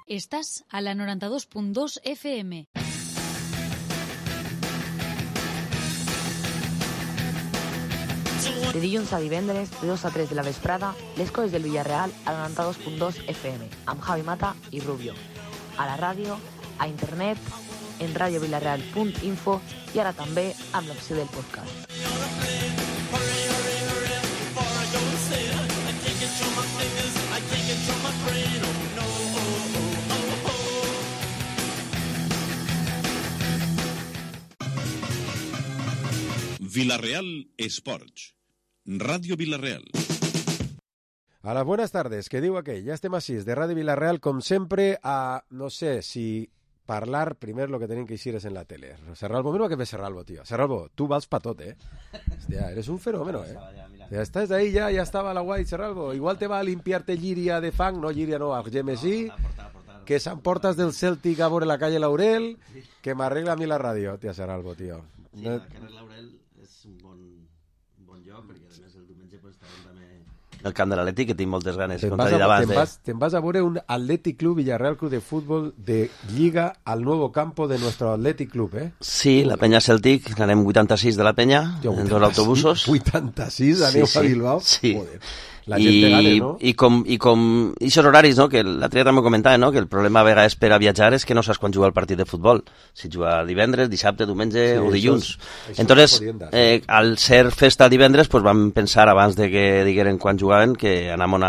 Estàs a la 92.2 FM. De dilluns a divendres, de 2 a 3 de la vesprada, les coses del Villarreal a la 92.2 FM, amb Javi Mata i Rubio. A la ràdio, a internet, en radiovillarreal.info i ara també amb l'opció del podcast. Villarreal Esports. Radio Villarreal. Hola, buenas tardes. ¿Qué digo aquell? Ya estem així, de Radio Villarreal, com sempre, a, no sé, si parlar primer lo que tenim que eixir és en la tele. Serralbo, mira que ve Serralbo, tío. Serralbo, tú vas pa tot, Hostia, eres un fenómeno, Ya estás ahí, ya estaba la guay, Serralbo. Igual te va a limpiarte Llíria de fang, no Llíria, no, a Gemesí, que s'emportes del Celtic a veure la calle Laurel, que m'arregla a mi la ràdio, tia Serralbo, tío. Sí, la carrer Laurel és un bon lloc, perquè a més el diumenge pues, estarem també el camp de l'Atlètic, que tinc moltes ganes, com t'ha dit abans. Te'n vas a veure un Athletic Club Villarreal Club de Fútbol de Lliga al nuevo campo de nuestro Athletic Club, Sí, la penya Celtic, anem 86 de la penya, en dos autobusos. 86, aneu a Bilbao? Sí. Joder. La gent te gane, no? I aquests horaris, no? Que l'altre dia també comentava, no? Que el problema a vegades per a viatjar és que no saps quan jugar el partit de futbol. Si juga divendres, dissabte, diumenge o dilluns. Entonces, al ser festa divendres, pues vam pensar abans de que digueren quan jugaven que anàvem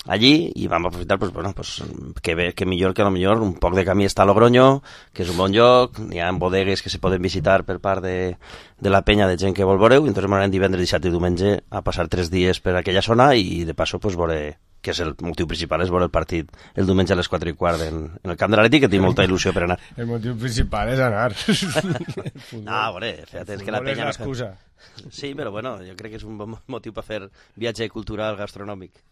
allí i vam aprofitar, pues, bueno, pues, que millor que a lo millor un poc de camí està a Logroño, que és un bon lloc, n'hi ha bodegues que se poden visitar per part de la penya de gent que vol veure-ho, i entonces m'anem divendres, dissabte i diumenge a passar 3 dies per aquella zona i de passo pues, veure, que és el motiu principal, és veure el partit el diumenge a les 4:15 en el camp de l'Atlètic, que tinc molta il·lusió per anar. El motiu principal és anar. No, a veure, fíjate, és que la penya... És l'excusa. Sí, però bueno, jo crec que és un bon motiu per fer viatge cultural, gastronòmic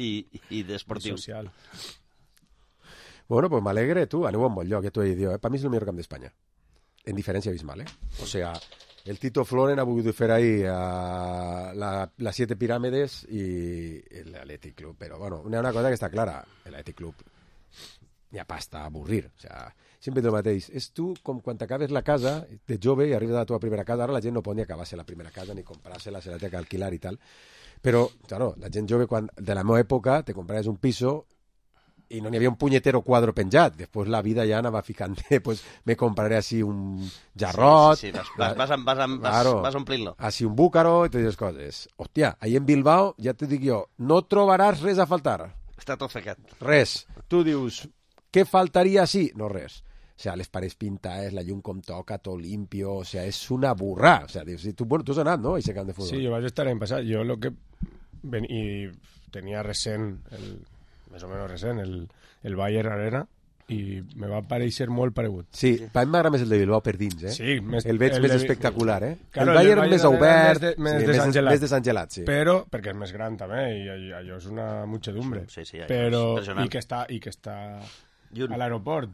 i desportiu. Social. Bueno, pues m'alegre, tu, aneu a un bon lloc, t'ho he dit, Per mi és el millor camp d'Espanya. En diferència abismal, O sea, el Tito Floren ha volgut fer ahí las 7 pirámides y el Athletic Club, pero bueno, una cosa que està clara, el Athletic Club ja pasta a avorrir, o sea, sempre el mateix. És tu com quan t'acabes la casa de jove i arribes a la teva primera casa, ara la gent no pot ni acabar-se la primera casa ni comprar-se-la, se la té que alquilar i tal, però, claro, la gent jove, quan de la meva època, te compraves un piso y no n'hi havia un punyetero quadro penjat. Després la vida ja anava ficant, pues me compraré así un jarrot. Sí, vas omplint-lo. Así un búcaro i totes les coses. Hòstia, ahí en Bilbao, ja te dic jo, no trobaràs res a faltar. Està tot ficat. Res. Tu dius, què faltaria així? No res. O sea, les parets pintades, la llum com toca, tot limpio, o sea, és una burrà. O sea, tu has anat, no?, a aquest camp de futbol. Sí, jo vaig estar l'any passat. Jo lo que... I tenia recent, més o menys recent, el Bayern Arena, i me va pareixer molt paregut. Sí, a mi m'agrada més el de Bilbao per dins, Sí, el veig més espectacular, Claro, el Bayern més obert, més desangelat, sí. Però, perquè és més gran també, i allò és una muchedumbre. Sí, però, i que està a l'aeroport.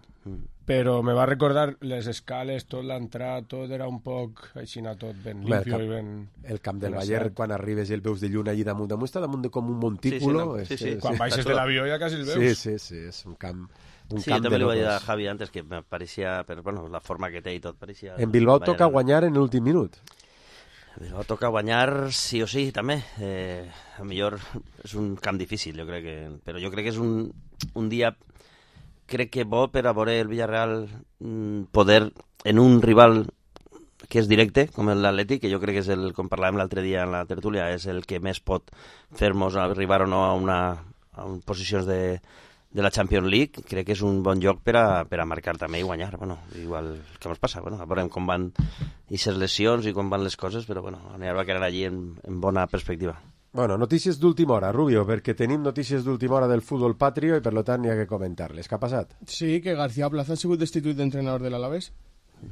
Però me va recordar les escales, tot l'entrada, tot era un poc així, tot ben limpio i ben... El camp del Bayern, quan arribes i el veus de lluna allí damunt, està damunt com un montículo. Sí. Quan baixes de l'avió ja quasi el veus. Sí, és un camp... Sí, jo també li vaig dir a Javi antes que me pareixia, però bueno, la forma que té i tot pareixia... En Bilbao toca guanyar en l'últim minut. En Bilbao toca guanyar sí o sí, també. A millor és un camp difícil, jo crec que... Però jo crec que és un dia... Crec que bo per a veure el Villarreal poder, en un rival que és directe, com l'Atlètic, que jo crec que és el, com parlàvem l'altre dia en la tertúlia, és el que més pot fer-nos arribar o no a posicions de la Champions League. Crec que és un bon lloc per a marcar també i guanyar. Bueno, igual que ens passa, bueno, veurem com van aquestes lesions i com van les coses, però bueno, va quedar allí en bona perspectiva. Bueno, notícies d'última hora, Rubio, perquè tenim notícies d'última hora del futbol patrio i per tant hi ha que comentar-les. Què ha passat? Sí, que García Plaza ha sigut destituït d'entrenador de l'Alavés.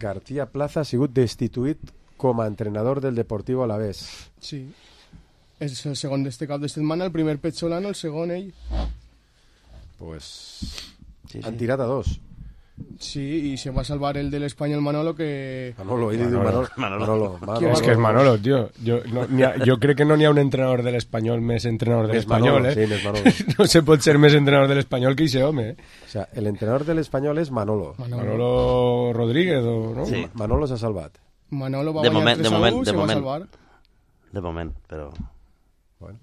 García Plaza ha sigut destituït com a entrenador del Deportivo Alavés. Sí. És el segon d'este cap de setmana, el primer Petzolano, el segon ell. Pues han tirat a dos. Sí, y se va a salvar el del español Manolo que... Manolo. És que és Manolo, tio. Jo crec que no n'hi ha un entrenador de l'Espanyol més entrenador de l'Espanyol, Sí, més Manolo. No se pot ser més entrenador de l'Espanyol que ese home, O sea, el entrenador del Espanyol és Manolo. Manolo Rodríguez, ¿no? Sí. Manolo s'ha salvat. Manolo va guanyar 3-1, se va a salvar. De moment, però... Bueno.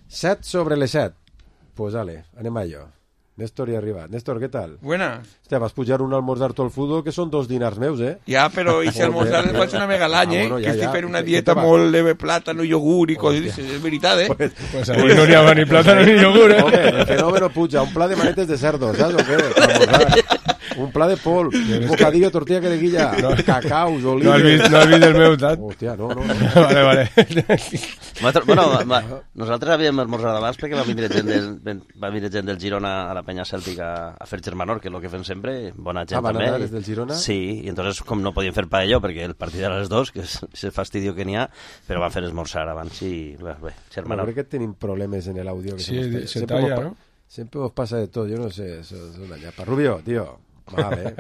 7 sobre les 7. Pues dale, anem a ello. Néstor ya arriba. Néstor, ¿qué tal? Buenas. Hostia, vas a pujar un almorzar todo el fútbol que son 2 dinars meus, ¿eh? Ja, però i si almorzar es pot una mega l'any, bueno, que estic fent una dieta molt de plàtano, iogurt i coses, és veritat, Pues ahí no n'hi ha ni plátano ni yogur, Hombre, el fenómeno puja, un pla de manetes de cerdo, ¿sabes o qué? Un pla de pol, un bocadillo, tortilla que de guilla, cacaus, olives... No has vist el meu, tat? Hòstia, no. Vale. Nosaltres havíem esmorzat abans perquè va vindre gent del Girona a la penya cèltica a fer germanor, que és el que fem sempre, bona gent van també. anar des del Girona? Sí, i entonces com no podíem fer paello perquè el partit era a les 2, que és el fastidio que n'hi ha, però van fer esmorzar abans i bé, germanor. Crec que tenim problemes en el audio. Sí, se talla, ¿no? Siempre os pasa de todo, yo no sé, eso es una ñapa. Rubio, tío, vale.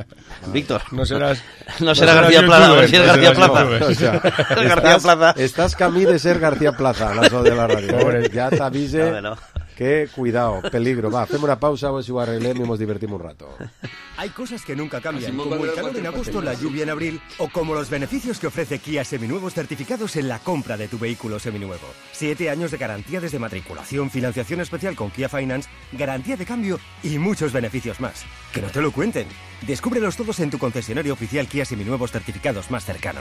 Víctor, no será García Plaza, a ver si es García Plaza. O sea, García Plaza. Estás camí de ser García Plaza, la de la radio. Pobre. Ya te avise No. que cuidado, peligro. Va, hacemos una pausa, a ver si lo arreglemos y nos divertimos un rato. Hay cosas que nunca cambian, como el calor en agosto, la lluvia en abril, o como los beneficios que ofrece Kia Seminuevos certificados en la compra de tu vehículo seminuevo. 7 años de garantía desde matriculación, financiación especial con Kia Finance, garantía de cambio y muchos beneficios más. Que no te lo cuenten. Descúbrelos todos en tu concesionario oficial Kia Seminuevos certificados más cercano.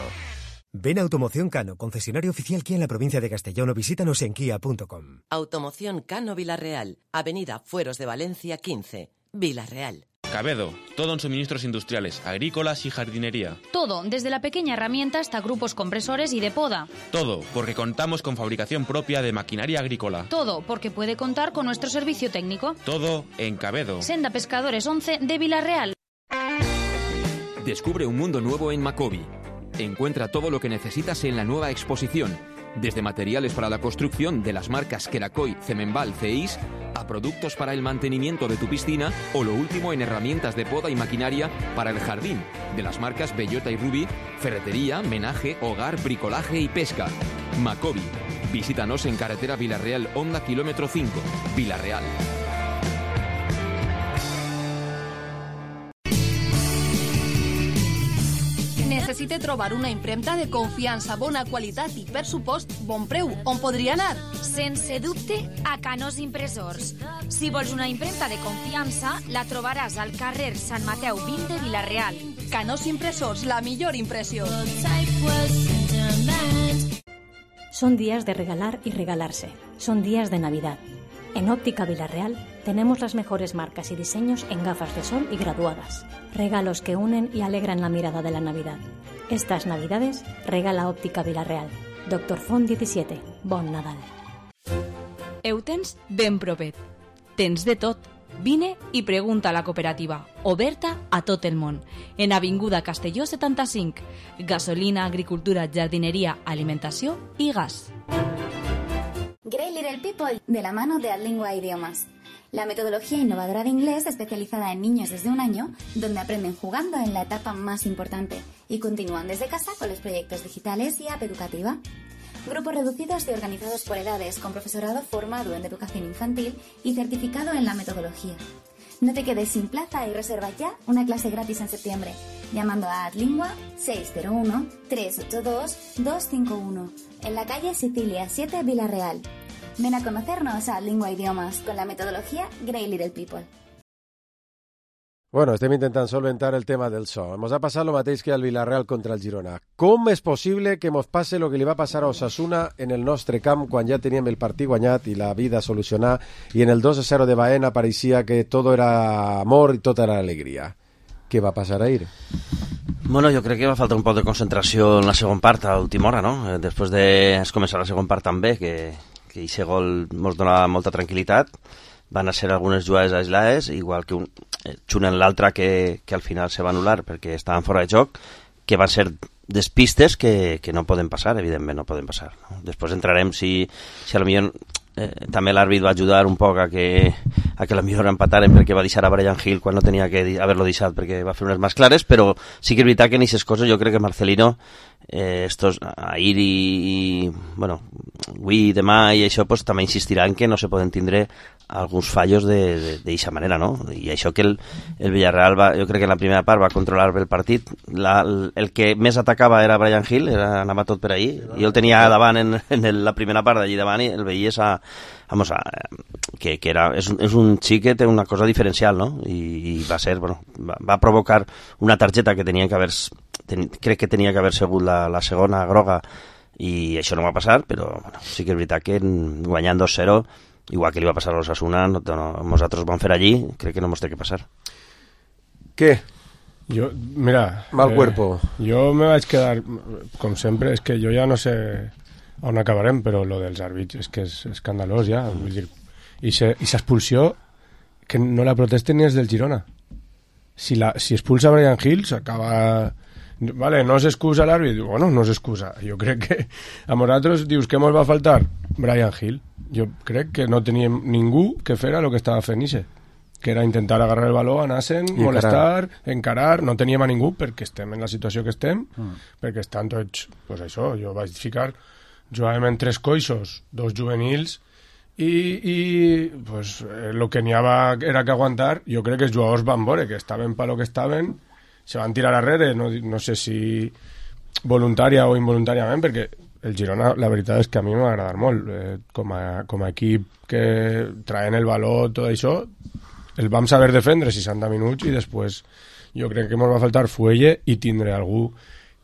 Ven a Automoción Cano, concesionario oficial Kia en la provincia de Castellón, o visítanos en kia.com. Automoción Cano Vilarreal, Avenida Fueros de Valencia 15, Vilarreal. Cabedo, todo en suministros industriales, agrícolas y jardinería. Todo, desde la pequeña herramienta hasta grupos compresores y de poda. Todo, porque contamos con fabricación propia de maquinaria agrícola. Todo, porque puede contar con nuestro servicio técnico. Todo en Cabedo. Senda Pescadores 11 de Vilarreal. Descubre un mundo nuevo en Macobi. Encuentra todo lo que necesitas en la nueva exposición, desde materiales para la construcción de las marcas Kerakoy, Cemenbal, CEIS, a productos para el mantenimiento de tu piscina o lo último en herramientas de poda y maquinaria para el jardín, de las marcas Bellota y Ruby, ferretería, menaje, hogar, bricolaje y pesca. Macobi. Visítanos en carretera Vilarreal, Honda kilómetro 5, Vilarreal. Necessite trobar una impremta de confiança, bona qualitat i, per supost, bon preu. On podria anar? Sense dubte, a Canós Impressors. Si vols una impremta de confiança, la trobaràs al carrer Sant Mateu 20 de Vilarreal. Canós Impressors, la millor impressió. Son días de regalar y regalarse. Son días de Navidad. En Óptica Vilarreal tenemos las mejores marcas y diseños en gafas de sol y graduadas. Regalos que unen y alegran la mirada de la Navidad. Estas Navidades regala Óptica Vilarreal. Dr. Font 17. Bon Nadal. Ho tens ben propet. Tens de tot. Vine i pregunta a la cooperativa, oberta a tot el món. En Avinguda Castelló 75. Gasolina, agricultura, jardineria, alimentació i gas. Great Little People, de la mano de Adlingua Idiomas. La metodología innovadora de inglés especializada en niños desde 1 año, donde aprenden jugando en la etapa más importante y continúan desde casa con los proyectos digitales y app educativa. Grupos reducidos y organizados por edades, con profesorado formado en educación infantil y certificado en la metodología. No te quedes sin plaza y reserva ya una clase gratis en septiembre, llamando a Adlingua 601-382-251, en la calle Sicilia 7, Vilarreal. Ven a conocernos a Adlingua Idiomas con la metodología Great Little People. Bueno, estem intentant solventar el tema del so. Ens ha passat el mateix que al Villarreal contra el Girona. Com és possible que ens passe el que li va passar a Osasuna en el nostre camp quan ja teníem el partit guanyat i la vida solucionada i en el 2-0 de Baena pareixia que tot era amor i tot era alegria? Què va passar ahir? Bueno, jo crec que va faltar un poc de concentració en la segona part a última hora, no? Després de començar la segona part també, que aquest gol ens donava molta tranquil·litat. Van a ser algunes jugades aislades, igual que un en l'altre que al final se va anul·lar perquè estaven fora de joc, que van ser despistes que no poden passar, evidentment no poden passar, no? Després entrarem si a lo millor també l'àrbit va ajudar un poc a que la millor empataren perquè va deixar a Brian Hill quan no tenia que haver-lo deixat perquè va fer unes més clares, però sí que és veritat que en aquestes coses jo crec que Marcelino ahir i bueno, avui, demà i això pues, també insistiran que no se poden tindre alguns fallos d'aquesta manera, no? I això que el Villarreal jo crec que en la primera part va controlar bé el partit, el que més atacava era Brian Hill, anava tot per ahí, i el tenia davant en la primera part d'allí davant i el veies que és un xic que té una cosa diferencial, no? I va ser, bueno, va provocar una targeta que tenia que haver crec que tenia que haver sigut la segona groga i això no va passar, però bueno, sí que és veritat que guanyant 2-0 igual que li va passar a l'Osasuna, nosaltres vam fer allí, crec que no mos té que passar. Què? Mira... Mal cuerpo. Jo me vaig quedar, com sempre, és que jo ja no sé on acabarem, però lo dels àrbits és que és escandalós ja, vull dir, i s'expulsió que no la protesten ni els del Girona. Si expulsa Brian Hill s'acaba... Vale, no s'excusa l'àrbit, bueno, no s'excusa. Jo crec que a nosaltres dius que mos va faltar Brian Hill. Jo crec que no teníem ningú que fera el que estava fent Ixe, que era intentar agarrar el baló, anar-se'n, molestar, encarar, no teníem a ningú perquè estem en la situació que estem, perquè estan tots, pues això, jo vaig ficar, jugàvem en 3 coixos, 2 juvenils, i pues, el que n'hi havia era que aguantar. Jo crec que els jugadors van veure que estaven per lo que estaven, se van tirar arrere, no sé si voluntària o involuntàriament, perquè el Girona, la veritat és que a mi m'ha agradat molt. Com a equip que traen el valor, tot això, el vam saber defendre 60 minuts i després jo crec que ens va faltar fuelle i tindre algú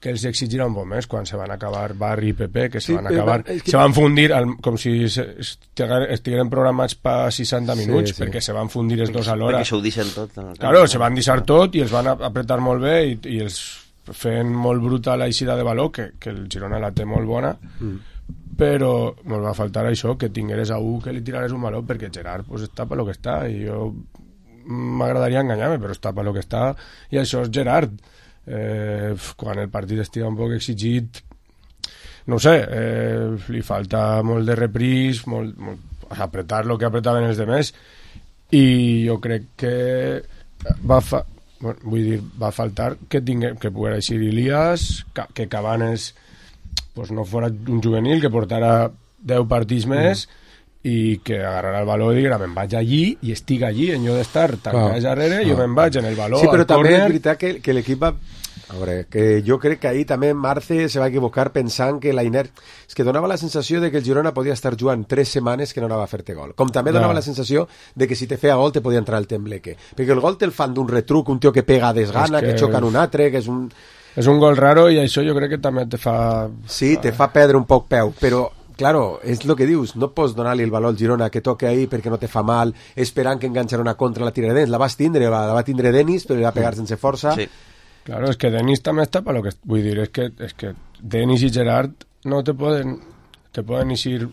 que els exigirà un poc més quan se van acabar Barri i Pepe, que se van acabar, se van fundir com si estigueren programats per 60 minuts, perquè se van fundir els dos alhora. Perquè s'ho deixen tot. Claro, se van deixar tot i els van apretar molt bé i els fent molt bruta la eixida de valor, que el Girona la té molt bona, però ens va faltar això, que tingueres a un que li tirares un valor, perquè Gerard pues, està per lo que està, i jo m'agradaria enganyar-me, però està per lo que està, i això és Gerard. Quan el partit estigui un poc exigit, no ho sé, li falta molt de repris, apretar lo que apretaven els demés, i jo crec que va faltar que poguera eixir Ilias, que Cabanes pues, no fora un juvenil, que portara 10 partits més, i que agarrarà el valor i dirà, me'n vaig allí i estic allí, en lloc d'estar tancats darrere, jo me'n vaig en el valor. Sí, però també és veritat que l'equip va... A veure, que jo crec que ahir també Marce se va equivocar pensant que la inèrcia... És que donava la sensació de que el Girona podia estar jugant 3 setmanes que no anava a fer-te gol. Com també donava la sensació de que si te feia gol te podia entrar el tembleque. Perquè el gol te'l fan d'un retruc, un tio que pega a desgana, que xoca en un altre, que és un... És un gol raro i això jo crec que també te fa... Sí, te fa perdre un poc peu, però... Claro, és el que dius, no pots donar-li el valor al Girona que toque ahí perquè no te fa mal, esperant que enganxarà una contra la tirarà dents. La va tindre Denis, però li va pegar sense força. Sí. Claro, és que Denis també està per lo que... Vull dir, és que Denis i Gerard no te poden eixir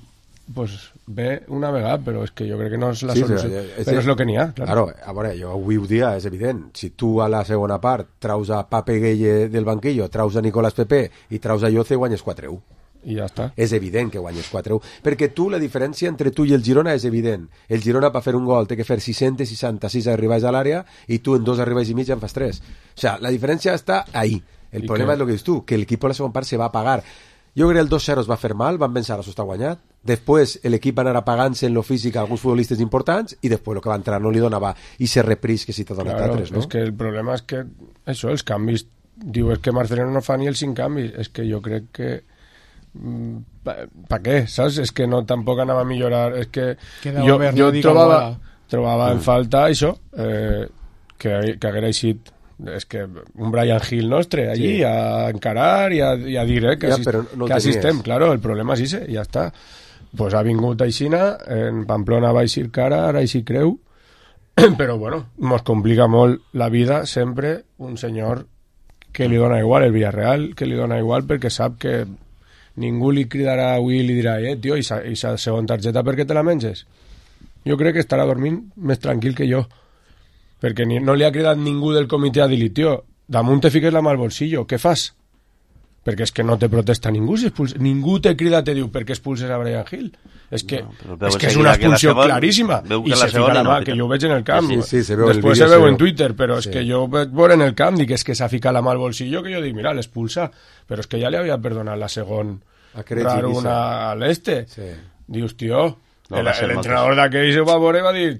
pues, bé una vegada, però és que jo crec que no és la solució. Però és el que n'hi ha, claro. A veure, jo avui ho dia, és evident. Si tu a la segona part traus a Pape Gueye del banquillo, traus a Nicolás Pepe i traus a Yoce, guanyes 4-1. I ja està. És evident que guanyes 4-1, perquè tu, la diferència entre tu i el Girona és evident. El Girona per fer un gol té que fer 666 arribats a l'àrea i tu en 2 arribats i mig en fas 3. O sea, la diferència està ahí. El problema és el que dius tu, que l'equip a la segona part se va apagar. Jo crec que el 2-0 es va fer mal, van pensar, això està guanyat. Després l'equip va anar apagant-se en lo físic a alguns futbolistes importants i després el que va entrar no li donava i se repris que si t'ha donat altres, no? És que el problema és que això, els canvis, diu, és que Marcelino no fa ni els 5 canvis, és que jo crec que ¿para qué? ¿Sabes? Es que no tampoc anava a millorar, és que jo trobava en falta això, que haguera eixit és que un Brian Hill nostre allí a encarar i a dir que així estem, claro, el problema és ese, ja està. Pues ha vingut aixina, en Pamplona va eixir cara, ara eixir creu, però bueno, mos complica molt la vida sempre un senyor que li dona igual el Villarreal, que li dona igual perquè sap que ningú li cridarà avui i li dirà tio, i sa segona targeta per què te la menges? Jo crec que estarà dormint més tranquil que jo, perquè no li ha cridat ningú del comitè a dir-li, tio, damunt te fiques la mà al bolsillo, què fas? perquè és que no te protesta ningú si expulses. Ningú te crida, te diu per què expulses a Bryan Hill. És que és una expulsió claríssima i se fica la mà, que jo ho veig en el camp, després se veu en Twitter, però és que jo vaig veure en el camp, dic, és que s'ha ficat la mà al bolsillo, que jo dic, mira, l'expulsa, però és que ja li havia perdonat la segon raro una a l'este. Dius, tio, l'entrenador d'aquell se va veure i va dir,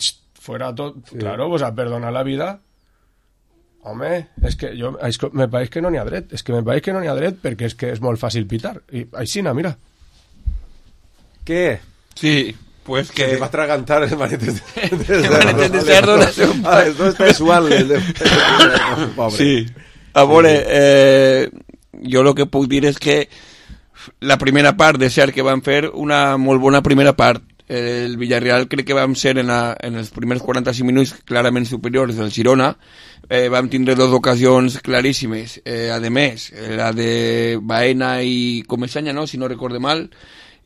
fuera tot, claro, pues a perdonar la vida. Home, és que me pareix que no n'hi ha dret, perquè és que és molt fàcil pitar. I aixina, mira. Què? Sí, pues que... Se te va a atragantar el manete de cerdo. Esto es sexual. Sí. A veure, jo el que puc dir és que la primera part de cert que van fer una molt bona primera part. El Villarreal crec que vam ser en els primers 45 minuts clarament superiors del Girona. Vam tindre dos ocasions claríssimes, a més la de Baena i Comesaña, no? Si no recorde mal,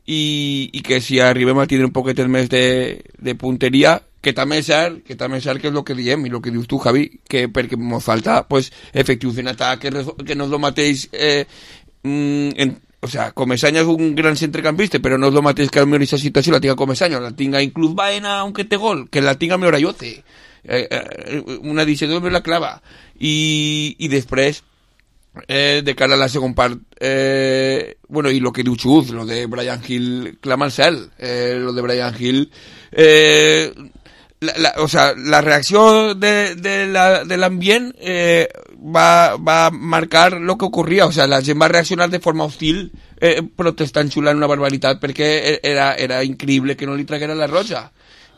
i que si arribem a tindre un poquet més de punteria, que també és cert que és el que diem i el que dius tu, Javi, que perquè ens falta pues, efectius en atac, que no és el mateix o sea, Comesaña és un gran centrecampista, però no és el mateix que a aquesta situació la tinga Comesaña, la tinga inclús Baena, aunque té gol, que la tinga millor Ayoce. Una edició me la clava. I després, de cara a la segona part, bueno, i lo que diu Chuz, lo de Bryan Hill clama al cel, lo de Bryan Hill... o sea, la reacció de l'ambient va marcar lo que ocurria, o sea, la gent va reaccionar de forma hostil, protestant, xulant una barbaritat, perquè era increïble que no li traguera la roja.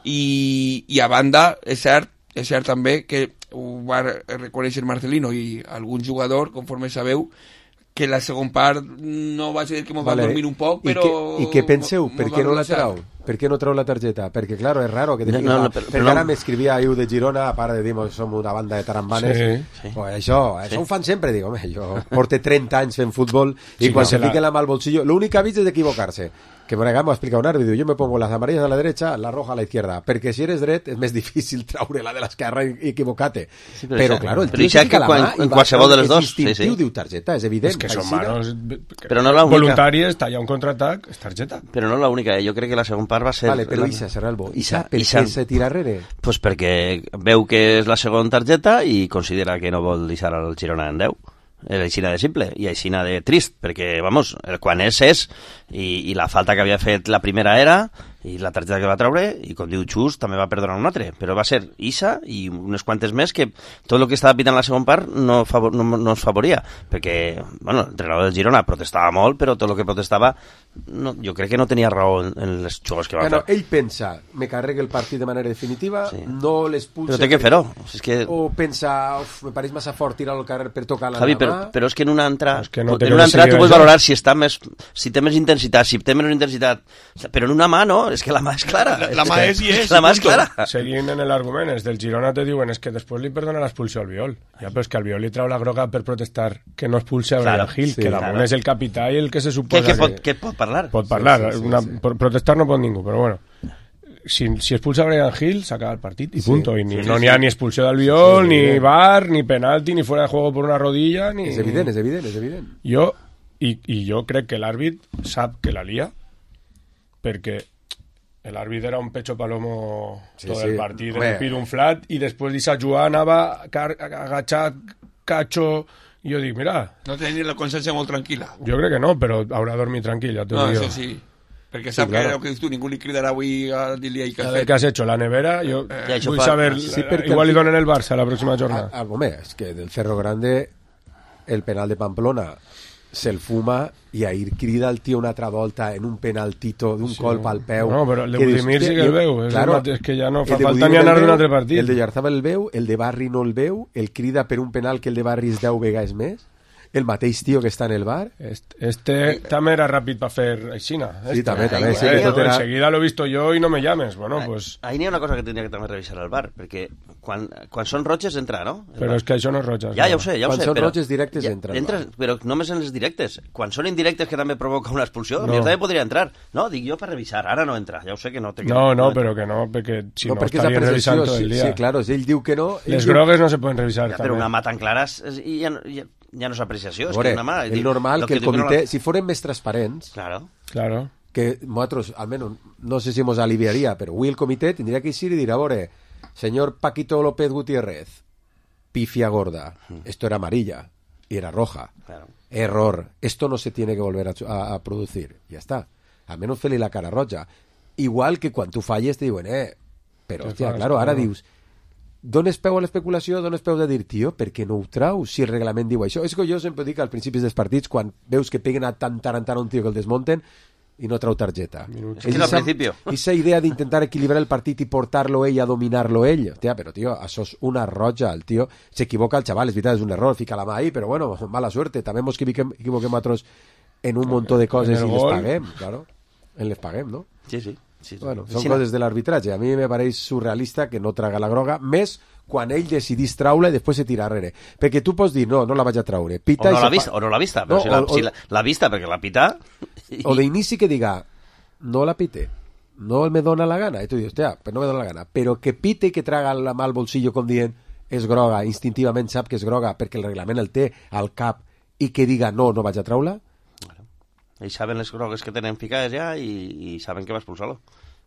I a banda, és cert també que ho va reconèixer Marcelino i algun jugador, conforme sabeu, que la segona part no va ser que ens va dormir un poc, però... I què penseu? Per què no la trau? Per què no trau la targeta? Perquè, claro, és raro que perquè ara m'escrivia Iu de Girona, a part de dir, som una banda de tarambanes, pues això ho fan sempre, dic, home, jo porto 30 anys fent futbol i quan se fiquen la mà al bolsillo, l'únic que ha vist és d'equivocar-se. Que por acá me ha explicado un árbitro, yo me pongo las amarillas a la derecha, la roja a la izquierda, perquè si eres dret és més difícil traure-la de l'esquerra i equivocar-te. Sí, però claro, el tio que la mà en qualsevol de les dos, sí. Diu targeta, és evident. És que són manos però no la única. Voluntàries, talla un contraatac, és targeta. Però no l'única, jo crec que la segona part va ser... Vale, però Isa, Serralbo, per què se tira arrere? Pues perquè veu que és la segona targeta i considera que no vol deixar el Girona en 10. Aixina de simple i aixina de trist, perquè, vamos, quan és, i la falta que havia fet la primera era, i la targeta que va treure, i com diu Xus, també va perdonar un altre, però va ser Isa i unes quantes més que tot el que estava pitant la segona part no es favoria, perquè, bueno, l'entrenador del Girona protestava molt, però tot el que protestava jo crec que no tenia raó en les jugadors que va fer. Ell pensa, me carregue el partit de manera definitiva, no l'expulsa... Però té que fer-ho. O pensa, me pareix massa fort tirar al carrer per tocar la Javi, però és que en una altra tu pots valorar si té més intensitat, si té menys intensitat, però en una mà no, és que la mà és clara. La mà és i és. La mà és clara. Seguint en l'argument, els del Girona te diuen és que després li perdona l'expulsió al Viol. Ja, però és que al Viol li trau la groga per protestar que no expulse a Bryan Hill, que damunt és el capità i el que se suposa que pot parlar. Pot parlar. Protestar no pot ningú, però bueno. Si expulsa a Bryan Hill, s'acaba el partit i punto. I no n'hi ha ni expulsió del Viol, ni VAR, ni penalti, ni fuera de juego por una rodilla, ni... És evident. Jo crec que l'àrbit sap que la lia, perquè l'àrbit era un pecho palomo tot el partit, de pir un flat, i després d'Issa jugar anava agachat, cacho, i jo dic, mira... No tenia la consciència molt tranquil·la. Jo crec que no, però haurà dormit tranquil, ja t'ho dic jo. Això sí, perquè sap que el que dius tu, ningú li cridarà avui a dir-li què has hecho, la nevera, jo vull saber, igual li donen el Barça la pròxima jornada. Home, és que del Cerro Grande el penal de Pamplona se'l fuma i ahir crida el tio una altra volta en un penaltito d'un colp al peu. No, però el de Budimir sí que el veu. És que ja no fa falta ni anar d'un altre partit. El de Yarzábal el veu, el de Barri no el veu, el crida per un penal que el de Barri és 10 vegades més. El mateix tio que està en el bar. També era ràpid per fer aixina. Sí, també. Enseguida lo he visto yo y no me llames. Bueno, pues... Ahí n'hi ha una cosa que tindria que també revisar al bar, perquè quan són roges entra, no? Però és que això no és roges. Ja ho sé. Quan són roges directes entra. Però només en les directes. Quan són indirectes que també provoca una expulsió, també podria entrar. No, dic jo per revisar, ara no entra. Ja ho sé que no té que... No, però que no, perquè si no estaria revisant tot el dia. Sí, claro, ell diu que no. Les grogues no se poden revisar. Però una mà tan clara... ja no és apreciació, és Veure, que una mà... és normal que el comitè, si foren més transparents, claro. que nosaltres, almenys, no sé si ens aliviaria, però avui el comitè tindria que ir i dir, a veure, señor Paquito López Gutiérrez, pifia gorda, esto era amarilla y era roja. Claro. Error, esto no se tiene que volver a producir. Ya está. Al menos fer-li la cara roja. Igual que quan tu falles te diuen, però, hòstia, claro, ara dius, dones peu a l'especulació, dones peu de dir, tio, per què no ho traus si el reglament diu això? És que jo sempre dic als principis dels partits, quan veus que peguen a tant un tio que el desmunten, i no trau targeta. És que al principi. Esa idea d'intentar equilibrar el partit i portar-lo ell a dominar-lo ell, hòstia, però tio, això és una roja, el tio s'equivoca el xaval, és veritat, és un error, fica la mà ahí, però bueno, mala suerte, també ens equivoquem nosaltres en un montó de coses i les paguem, claro, les paguem, no? Sí. Bueno, són coses de l'arbitratge. A mi me pareix surrealista que no traga la groga, més quan ell decidís traure i després se tira darrere. Perquè tu pots dir, no la vaig a traure. Pita o no l'ha vista, però si l'ha vista perquè l'ha pita... O d'inici que diga, no la pite, no me dona la gana. I tu dius, hòstia, però no me dona la gana. Però que pite i que traga la mà al bolsillo com dient, és groga, instintivament sap que és groga perquè el reglament el té al cap i que diga, no vaig a traure-la. Ells saben les grogues que tenen ficades ja i saben que va expulsar-lo.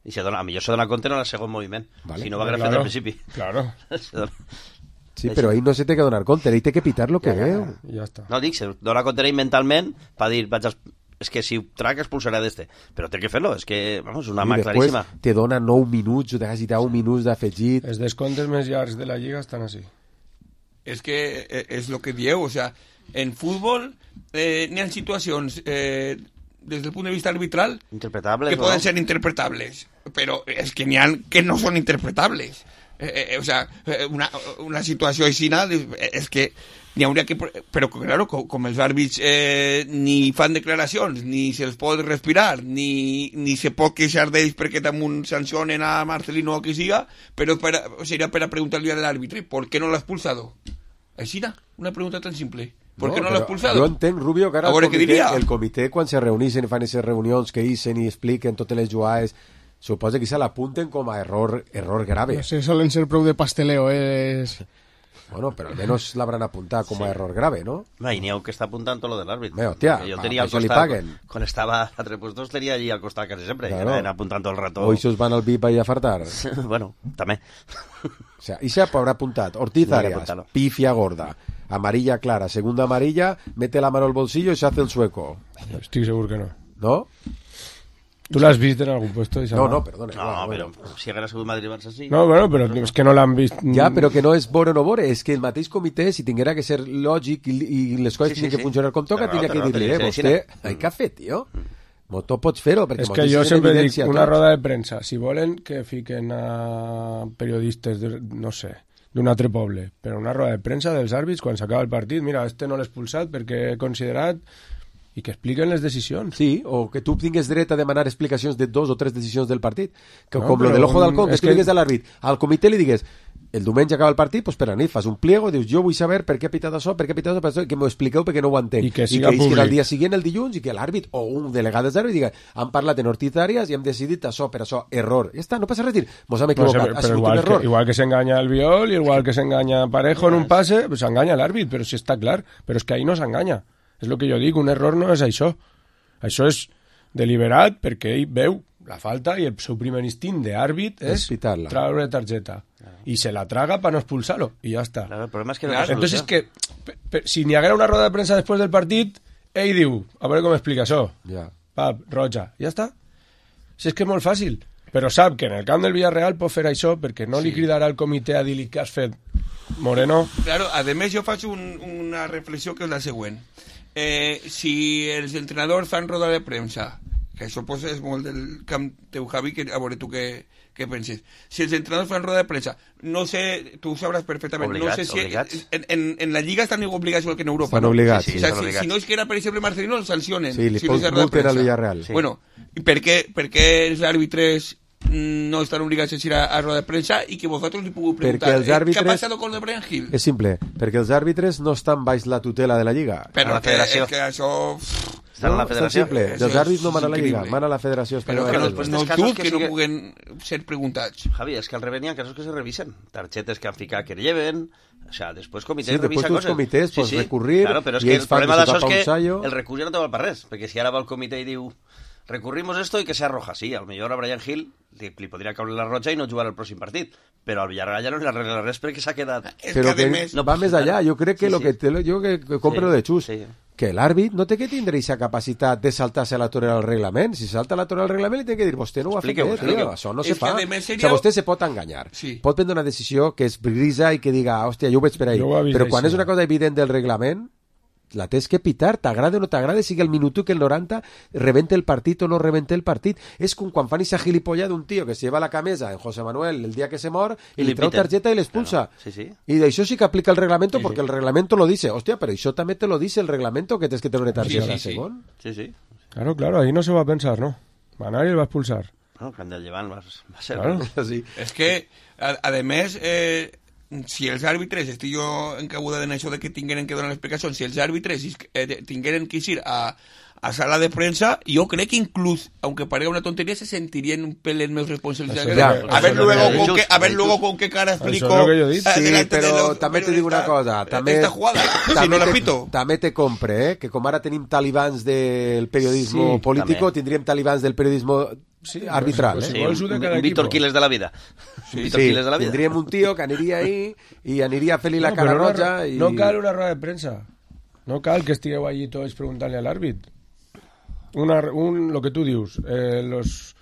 I a millor se dona compte en el segon moviment. Vale. Si no va haver fet al principi. Claro. Sí, però ell no se té que donar compte, ell té que pitar lo que veu. Ja està. No, dic, se dona compte ell mentalment per dir, és que si ho trac expulsarà d'este. Però té que fer-lo, és que, vamos, una mà claríssima. I després te dona 9 minuts, o t'has dit 10 minuts d'afegit. Els descomptes més llargs de la Lliga estan així. És que és el que dieu, o sea, en futbol n'hi ha situacions des del punt de vista arbitral interpretables, que poden ser interpretables, però és que n'hi ha que no són interpretables. O sea, una situació així és que n'hi hauria que... Però, claro, com els àrbits ni fan declaracions, ni se'ls pot respirar, ni se pot queixar d'ells perquè damunt sancionen a Marcelino o que siga, però seria per a preguntar-li a l'àrbitre ¿por qué no l'ha expulsado? Així, una pregunta tan simple. ¿Por qué no l'ha expulsado? Jo entenc, Rubio, que ara el comitè, quan se reuneixen i fan aquestes reunions que ixen i expliquen totes les jugades, suposa que se l'apunten com a error grave. No sé, solen ser prou de pasteleo, Bueno, però almenys l'hauran apuntat com a error grave, ¿no? No, i n'hi ha que està apuntant tot lo de l'àrbit. Hòstia, jo tenia al costat, quan estava a tres puestos, tenia allí al costat quasi sempre, claro. I anaven apuntant tot el rato. O ells van al VIP ahí a fartar. Bueno, també. O sea, i s'ha haurà apuntat Ortiz Arias, pifia gorda, amarilla clara, segunda amarilla, mete la mano al bolsillo y se hace el sueco. Estic segur que no. ¿No? ¿Tú l'has vist en algun puesto? No, perdona. No, però si hagués sigut Madrid-Barça sí. No, bueno, però és que no l'han vist. Ja, però que no és vore o no vore, és que el mateix comitè, si tinguera que ser lògic i les coses tinguin que funcionar com toca, tindria que dir-li, vostè, hay café, tio. Tu pots fer-ho, perquè... És que jo sempre dic, una roda de premsa, si volen que fiquen a periodistes, no sé, d'un altre poble, però una roda de premsa dels àrbits, quan s'acaba el partit, mira, este no l'he expulsat perquè he considerat... i que expliquen les decisions. Sí, o que tu tingues dret a demanar explicacions de 2 o 3 decisions del partit. Que, no, com lo de l'ojo d'halcón, que tu digues a l'àrbit, al comitè li digues, el diumenge acaba el partit, pues per a nit, fas un pliego, dius, jo vull saber per què ha pitat això, que m'ho expliqueu perquè no ho entenc. I que siga públic. I que el dia següent, el dilluns, i que l'àrbit o un delegat dels àrbits diga, han parlat en Ortiz Arias i hem decidit això, per això, error. Ja està, no passa res, mos hem equivocat, ha sigut un error. Igual que s'enganya el Viol, igual que s'enganya Parejo en un passe, pues s'enganya l'àrbit, però si està clar, però és que ahí no s'enganya. És el que jo dic, un error no és això. Això és deliberat perquè ell veu la falta i el seu primer instint d'àrbit és traure targeta. I se la traga per no expulsar-lo. I ja està. Claro, el problema és que no entonces, que si n'hi haguera una roda de premsa després del partit, ell diu, a veure com explica això. Pap, roja. Ja està. Si és que és molt fàcil. Però sap que en el camp del Villarreal pot fer això perquè no li cridarà el comitè a dir-li què has fet, Moreno. Claro, a més jo faig una reflexió que és la següent. Si els entrenadors fan roda de premsa, que això pues, és molt del camp teu, Javi, que a veure tu què penses. Si els entrenadors fan roda de premsa, no sé, tu ho sabràs perfectament, obligats, no sé si en la Lliga estan obligats igual que en Europa. Estan obligats. Sí, o sea, si no és que era, per exemple, Marcelino, el sancionen. Sí, li multen al Villarreal. Sí. Bueno, i per què els àrbitres no estan obligats a ir a roda de premsa i que vosaltres li pugueu preguntar què ha passat con el Brian Hill? És simple, perquè els àrbitres no estan baix la tutela de la Lliga. Però la federació. Que això... Estan a la federació. És simple, els àrbits no mana la Lliga, mana la federació espanyola. Però que no dubtes que no puguen ser preguntats. Javi, és que al revés n'hi ha casos que se revisen. Targetes que han ficat que lleven, O sea, después comitè sí, revisa después coses. comités pots recurrir, claro, però és i que ells el fan problema de d'això és sopar que un sallo. el recurs ja no te val per res, perquè si ara va el comitè i diu recurrimos esto y que sea roja, sí, al millor a Brian Hill li podria caure la roja i no jugar al pròxim partit, però al Villarreal ja no li arregla res perquè s'ha quedat... Però que va més allà, jo crec que jo que compro lo de Xus, que l'àrbit no té que tindre aquesta capacitat de saltar-se la torera al reglament. Si salta la torera al reglament li té que dir, vostè no ho ha fet bé, tio, això no se fa. O sigui, vostè se pot enganyar, pot prendre una decisió que és grisa i que diga, hòstia, jo ho veig per ahí, però quan és una cosa evident del reglament, la tens que pitar, t'agrada o no t'agrada, sigui el minuto que el 90 rebente el partit o no rebente el partit. És com quan fan esa gilipolla d'un tio que se lleva la camisa en José Manuel el dia que se mor i li treu targeta i l'expulsa. Claro. I d'això sí que aplica el reglamento porque el reglamento lo dice. Hòstia, però això també te lo dice el reglamento que tens que tener una targeta segon. Sí. Claro, ahí no se va a pensar, ¿no? Va a nadie va a expulsar. No, que del llevant va ser... Claro. Sí. És que, a més... si els àrbitres, estic jo encabuda en això de que tingueren que donar explicacions, si els àrbitres tingueren que ir a sala de prensa, yo creo que incluso, aunque parezca una tontería, se sentirían un pelín menos responsables. A ver luego con qué cara explico. Sí, però també te dic una cosa. Esta jugada, si no la pito. També te compre, que com ara tenim talibans del periodismo político, tindríem talibans del periodismo arbitral. Sí, un Víctor Quiles de la vida. Sí, tindríem un tío que aniria ahí i aniria a fer-li la cara roja. No cal una roda de premsa. No cal que estigueu allí tots preguntant-li a l'àrbit. Lo que tú dius, los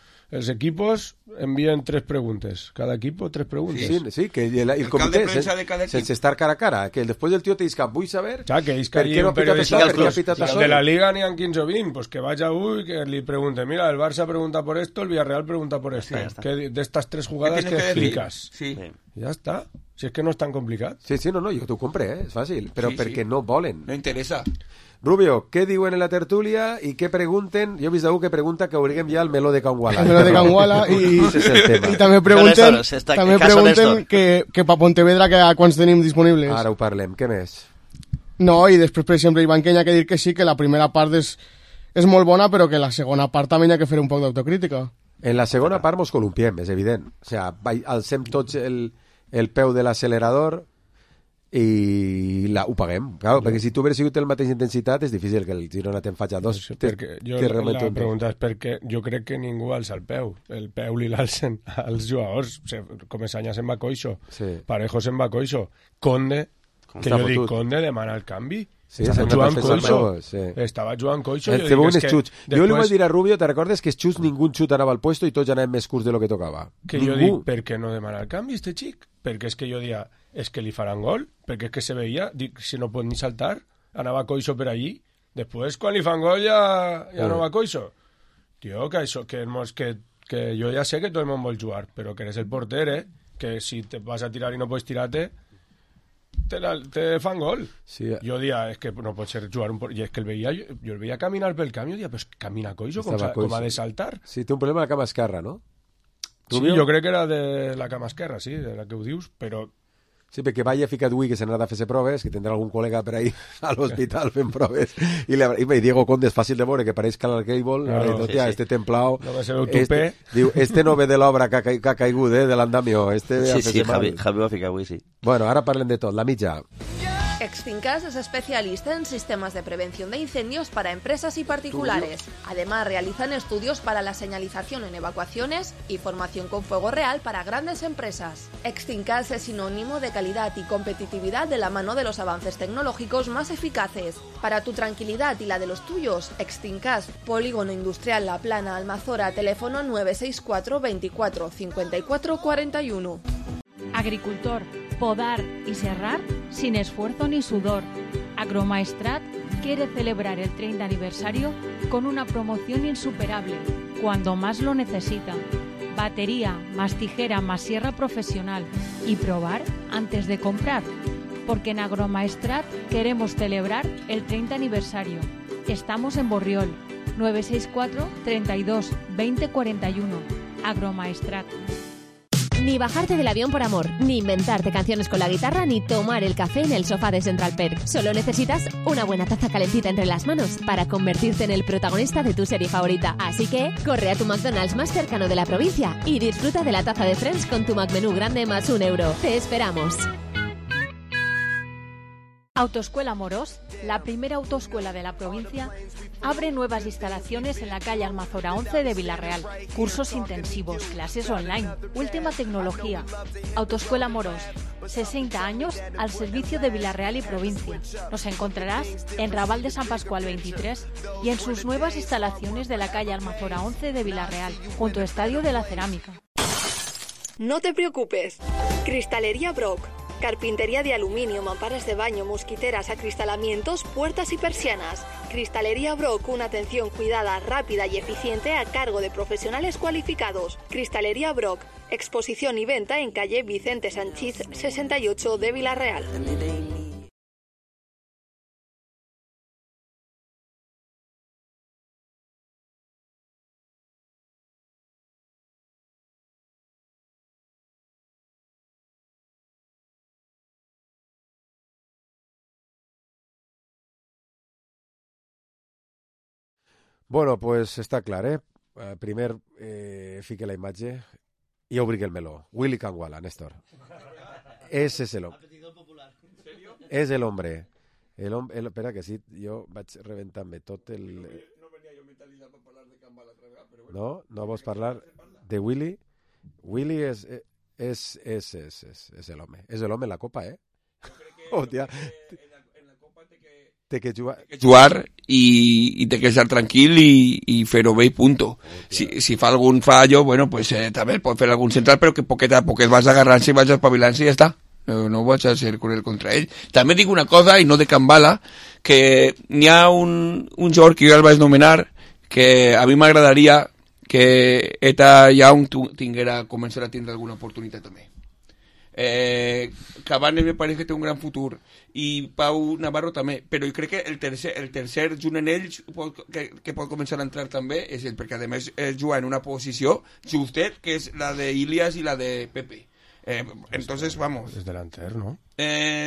equipos envían 3 preguntas. Cada equipo 3 preguntas. Sí, que el comité sense estar cara a cara, que después del tío te dice, vull saber per què no ha pitat això. De la Liga n'hi ha 15 o 20, pues que vaya y que le pregunte, mira, el Barça pregunta por esto, el Villarreal pregunta por esto. Que de estas 3 jugadas que explicas. Sí. Ya está. Si es que no es tan complicado. Sí, no, jo t'ho compré, és fàcil, però perquè no volen. No interessa. Rubio, què diuen en la tertúlia i què pregunten? Jo he vist algú que pregunta que obriguem ja el meló de Can Guala. El meló de Can Guala i també pregunten que pa Pontevedra que a quants tenim disponibles. Ara ho parlem, què més? No, i després, per exemple, Ivan Kenya ha que dir que sí, que la primera part és molt bona, però que la segona part també hi ha que fer un poc d'autocrítica. En la segona part mos columpiem, és evident. O sigui, alcem tots el peu de l'accelerador i ho paguem, clar, perquè si tu hubieras sigut el mateix intensitat és difícil que el Girona te'n faci a 2. La pregunta és perquè jo crec que ningú alça el peu li l'alcen als jugadors. Comesaña se'n va coixo, Parejo se'n va coixo, Conde, que jo dic, Conde demana el canvi. Estava jugant coixo. Jo li vaig dir a Rubio, te recordes que Xus ningú xut anava al puesto i tots anàvem més curts de lo que tocava? Que jo dic, per què no demana el canvi este xic? Perquè és que jo dia, és que li faran gol, perquè és que se veia, dic, si no pot ni saltar, anava coixo per allí, després quan li fan gol ja no va coixo. Tio, que això, que jo ja sé que tot el món vol jugar, però que eres el porter, que si te vas a tirar i no pots tirar-te, te fan gol. Jo dia, és que no pot ser jugar i és que jo el veia caminar pel camp, jo dia, però camina coixo, com ha de saltar. Sí, té un problema a la cama esquerra, no? Sí, jo crec que era de la cama esquerra, sí, de la que ho dius, però... Sí, perquè vaya ficat avui que se n'ha de fer proves, que tindrà algun col·lega per ahí a l'hospital fent proves, i Diego Conde és fàcil de veure, que pareix Cal Cable, este templao, diu, este no ve de l'obra que ha caigut, de l'andamio. Sí, Javi va ficar avui, sí. Bueno, ara parlem de tot, la mitja. Extincas es especialista en sistemas de prevención de incendios para empresas y particulares. Además, realizan estudios para la señalización en evacuaciones y formación con fuego real para grandes empresas. Extincas es sinónimo de calidad y competitividad de la mano de los avances tecnológicos más eficaces. Para tu tranquilidad y la de los tuyos, Extincas, Polígono Industrial La Plana, Almazora, teléfono 964 24 54 41. Agricultor, podar y serrar sin esfuerzo ni sudor. Agromaestrat quiere celebrar el 30 aniversario con una promoción insuperable, cuando más lo necesita. Batería, más tijera, más sierra profesional. Y probar antes de comprar. Porque en Agromaestrat queremos celebrar el 30 aniversario. Estamos en Borriol, 964 32 20 41. Agromaestrat. Ni bajarte del avión por amor, ni inventarte canciones con la guitarra, ni tomar el café en el sofá de Central Perk. Solo necesitas una buena taza calentita entre las manos para convertirte en el protagonista de tu serie favorita. Así que corre a tu McDonald's más cercano de la provincia y disfruta de la taza de Friends con tu McMenú grande más €1. ¡Te esperamos! Autoescuela Morós, la primera autoescuela de la provincia, abre nuevas instalaciones en la calle Almazora 11 de Villarreal. Cursos intensivos, clases online, última tecnología. Autoescuela Morós, 60 años al servicio de Villarreal y provincia. Nos encontrarás en Raval de San Pascual 23 y en sus nuevas instalaciones de la calle Almazora 11 de Villarreal, junto al Estadio de la Cerámica. No te preocupes. Cristalería Brock. Carpintería de aluminio, mamparas de baño, mosquiteras, acristalamientos, puertas y persianas. Cristalería Brock, una atención cuidada, rápida y eficiente a cargo de profesionales cualificados. Cristalería Brock, exposición y venta en calle Vicente Sanchís 68 de Villarreal. Bueno, pues està clar, primer fique la imatge i obri el meló. Willy Canguala, Néstor. Ese es el hombre. És el hombre. Espera, que sí, jo vaig rebentar-me tot el... No venia jo mentalitzat per parlar de Canguala altra vegada, però bueno. No? No vols parlar de Willy? Willy és el home. És el home en la copa, Hòstia. Té que jugar i té que estar tranquil i fer-ho bé i punto. Si fa algun fallo, bueno, pues també pot fer algun central, però que poquet a poquet vas agarrant-se i vas espavilant-se i ja està. No vaig a ser cruel contra ell. També dic una cosa, i no de Canguala, que n'hi ha un jugador que jo el vaig nomenar, que a mi m'agradaria que Eta Young començar a tindre alguna oportunitat també. Cavani me parece que té un gran futur i Pau Navarro també, però jo crec que el tercer junt en ells que pot començar a entrar també és ell, perquè a més juga en una posició justet, que és la de Ilias i la de Pepe. Entonces, vamos. Es delanter, ¿no?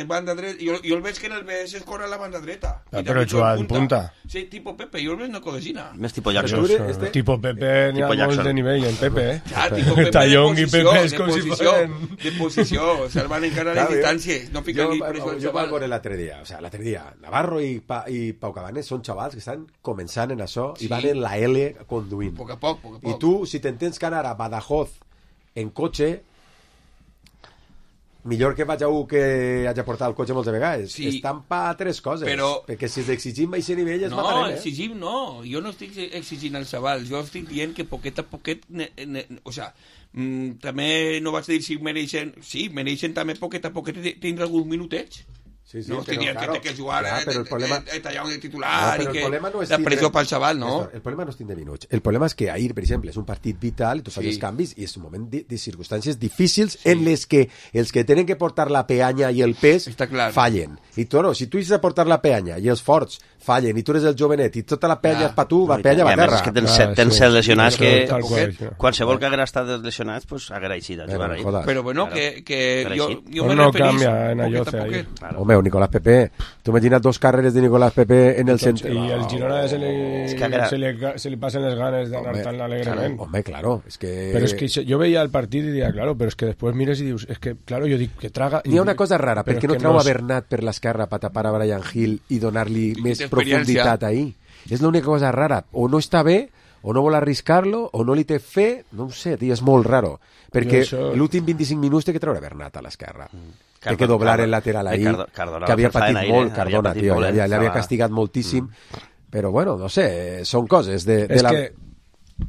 Banda dreta. Jo el veig que en el BS es corre a la banda dreta. Pero juga en punta. Sí, tipo Pepe. Jo el veig no codesina. Més tipo Jackson. Tipo Pepe, n'hi ha molts de nivell en Pepe, Ja, tipo Pepe Tallón i Pepe és com si foren... De posició. Salvan encara les distàncies. No fica ni preso el jo vaig xaval. veure l'altre dia. O sea, l'altre dia, Navarro i Pau Cabanes són xavals que estan començant en això i van en la L conduint. Poc a poc. I tu, si t'entens que anar a Badajoz en cotxe, millor que vaig a un que haig de portar el cotxe moltes vegades. Sí. Estan pa tres coses. Però... Perquè si els exigim a aquest nivell es matarem, No, exigim no. Jo no estic exigint al xaval. Jo estic dient que poquet a poquet... O sea, també no vaig dir si mereixen... Sí, mereixen també poquet a poquet tindre alguns minutets. Sí, no estic dient que té que jugar però el problema... tallar de titular no, i que no la pressió pel xaval, no? Néstor, el problema no és tindre minuts. El problema és que ahir, per exemple, és un partit vital i tu fas els canvis i és un moment de circumstàncies difícils en les que els que tenen que portar la peanya i el pes fallen. I tu, si tu has de portar la peanya i els forts fallen i tu eres el jovenet i tota la penya és per tu, va penya va terra. És que tens set lesionats que qualsevol que haguera estat lesionats pues haguera eixit a jugar ahir. Però bueno, que jo me no referís cambia en allò poquet a poquet. Home, Nicolás Pepe, tu imagina't dos carreres de Nicolás Pepe en el centre. Y el Girona se le pasan las ganas de ganar tan alegremente. Hombre, claro, es que... Pero es que yo veía el partido y decía, claro, pero es que después mires y dius, es que, claro, yo digo que traga... N'hi ha una cosa rara, perquè no treu a Bernat per l'esquerra per tapar a Brian Hill i donar-li més profunditat ahí. És l'única cosa rara. O no està bé, o no vol arriscar-lo, o no li té fe, no ho sé, és molt raro. Perquè l'últim 25 minuts té que treure Bernat a l'esquerra. Té que doblar el lateral ahí, que havia patit molt Cardona, tio, l'havia castigat moltíssim, però bueno, no sé, són coses de la...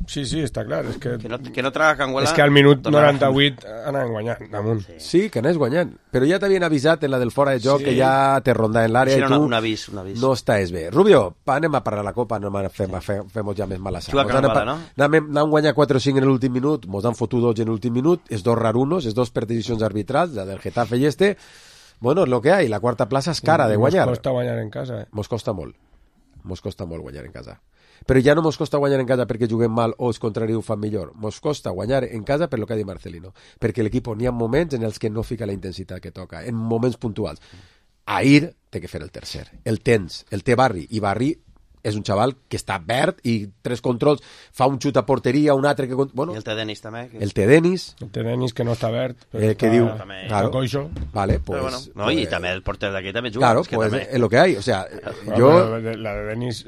Sí, està clar. És que no traga Canguala... És que al minut 98 anaven guanyant damunt. Sí, que anés guanyant. Però ja t'havien avisat en la del fora de joc que ja te ronda en l'àrea i tu un avís. No estàs bé. Rubio, anem a parar la copa, no fem ja més mala sang. Anem a guanyar 4 o 5 en l'últim minut, mos han fotut 2 en l'últim minut, és 2 rarunos, és 2 per decisions arbitrals, la del Getafe i bueno, és lo que hay, la quarta plaça és cara de guanyar. Mos costa guanyar en casa. Mos costa molt guanyar en casa. Però ja no mos costa guanyar en casa perquè juguem mal o els contraris ho fan millor. Mos costa guanyar en casa per lo que ha dit Marcelino. Perquè l'equip n'hi ha moments en els que no fica la intensitat que toca, en moments puntuals. Ahir té que fer el tercer. El té Barri, i Barri és un xaval que està verd i 3 controls, fa un xut a porteria, un altre que... Bueno, I el té Denis també. El té Denis. El té Denis, que no està verd, però que diu... Claro. Coixo. Vale, pues... Pero bueno, no, pues, y también el porter de aquí también juga. Claro, pues també... es lo que hay. O sea, yo... La de Denis,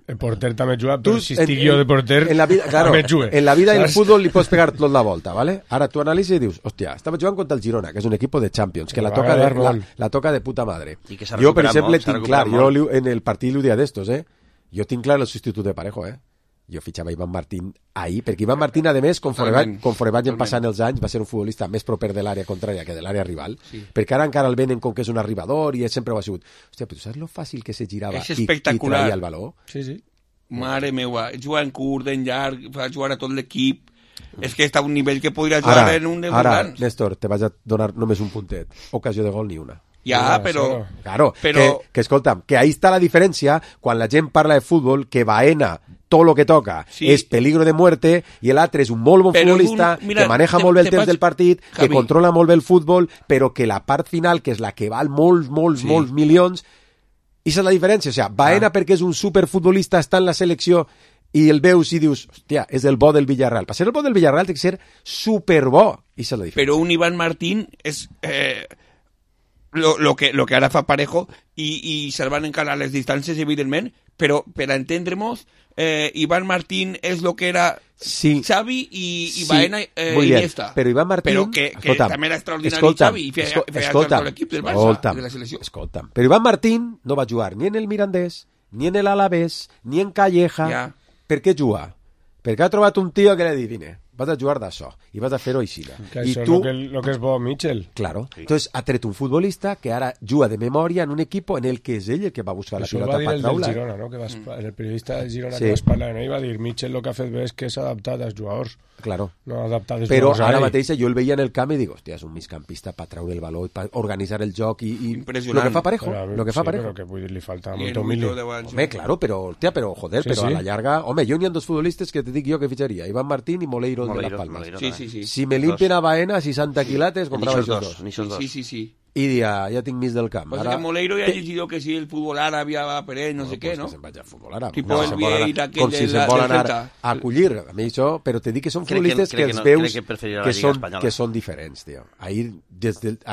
el porter també juga, però si estic jo de porter, en la vida, claro, també jugue. En la vida i el futbol li pots pegar tot la volta, ¿vale? Ara tu analitzes i dius, hòstia, estava jugant contra el Girona, que és un equip de Champions, que la toca de puta madre. Jo, per exemple, tinc clar, jo en el partit l'ho dia d'estos, jo tinc clar el substitut de Parejo, jo fitxava Iván Martín ahir, perquè Iván Martín, a més, conforme vagin passant els anys, va ser un futbolista més proper de l'àrea contrària que de l'àrea rival, perquè ara encara el venen com que és un arribador i sempre ho ha sigut. Hòstia, però tu saps lo fàcil que se girava i traia el valor? Sí, sí. Mare meua, jugant curt, en llarg, fa jugar a tot l'equip. És que està a un nivell que podria jugar en un dels Ara, grans. Néstor, te vaig a donar només un puntet. Ocasió de gol ni una. Ja, però... Claro, que escolta'm, que ahí està la diferència quan la gent parla de futbol, que Baena tot lo que toca és peligro de muerte i l'altre és un molt bon futbolista que maneja molt bé el temps del partit, que controla molt bé el futbol, però que la part final, que és la que val molts milions, i és la diferència. O sigui, Baena perquè és un superfutbolista, està en la selecció i el veus i dius, hòstia, és el bo del Villarreal. Per ser el bo del Villarreal té que ser superbo. I és la diferència. Però un Iván Martín és... lo que ara fa Parejo i salvant encara les distàncies, evidentment, però per entendre-nos, Iván Martín és lo que era Xavi i Baena Iniesta. Però Iván Martín... Però que també era extraordinari Xavi i feia tot l'equip del Barça, de la selecció. Escolta'm, però Iván Martín no va jugar ni en el Mirandés, ni en el Alavés, ni en Calleja. Per què juga? Perquè ha trobat un tio que li ha dit, vine, vas a jugar d'això i vas a fer-ho així. Que això tu... és lo que és bo Mitchell. Claro. Entonces ha tret un futbolista que ara juga de memòria en un equip en el que és ell el que va buscar la pilota per traure. Això va dir el del Girona, no? Que el periodista del Girona que vas parlar, no? I va dir, Mitchell el que ha fet bé és que s'ha adaptat als jugadors. Claro. No adaptat als però jugadors. Però ara mateix jo el veia en el camp i dic, hòstia, és un migcampista per treure el valor, per organitzar el joc i lo que fa Parejo. Lo que fa Parejo. Però que vull dir, li falta molt humili. Home, claro, però, hòstia, però joder, però a la llarga... Home, jo n'hi ha dos futbolistes que te dic jo que fitxaria, Iván Martín i Moleiro de Las Palmas. Sí. Si me limpian a Baena 60 quilates, comprava esos dos. Sí. I dia, ja tinc mig del camp. Pues ara... que Moleiro ja ha llegit que sí, el futbol àrab ja va per ell, no sé què, no? Que se'n vaig al futbol àrab. Tipo el Vieira, aquell com si se'n vol anar a acollir. A mi això, però te dic que són futbolistes que els veus que són diferents, tio. Ahir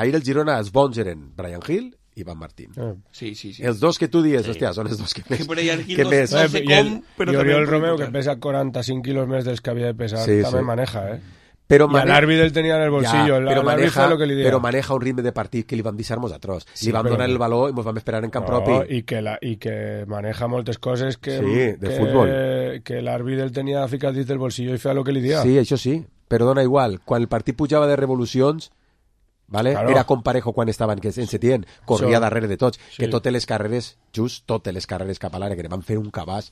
el Girona els bons eren Brian Hill i Iván Martín. Sí. Els dos que tu dies, hòstia, són els dos que més... Que més... No sé com, però també... I Oriol Romeu, que pesa 45 quilos més dels que havia de pesar, també maneja, Pero y al árbitro él tenía en el bolsillo, pero pero maneja un ritmo de partido que li van deixar mos atroç. Li van donar el valor i mos vam esperar en camp propi. I que maneja moltes coses que futbol. Que l'àrbitre el tenia ficat dins del bolsillo i feia el que li dia. Sí, això sí, però dona igual. Quan el partit pujava de revolucions, ¿vale? Claro. Era com Parejo quan estava en Setién, corria darrere de tots, que totes les carreres, totes les carreres cap a l'àrea, que van fer un cabàs,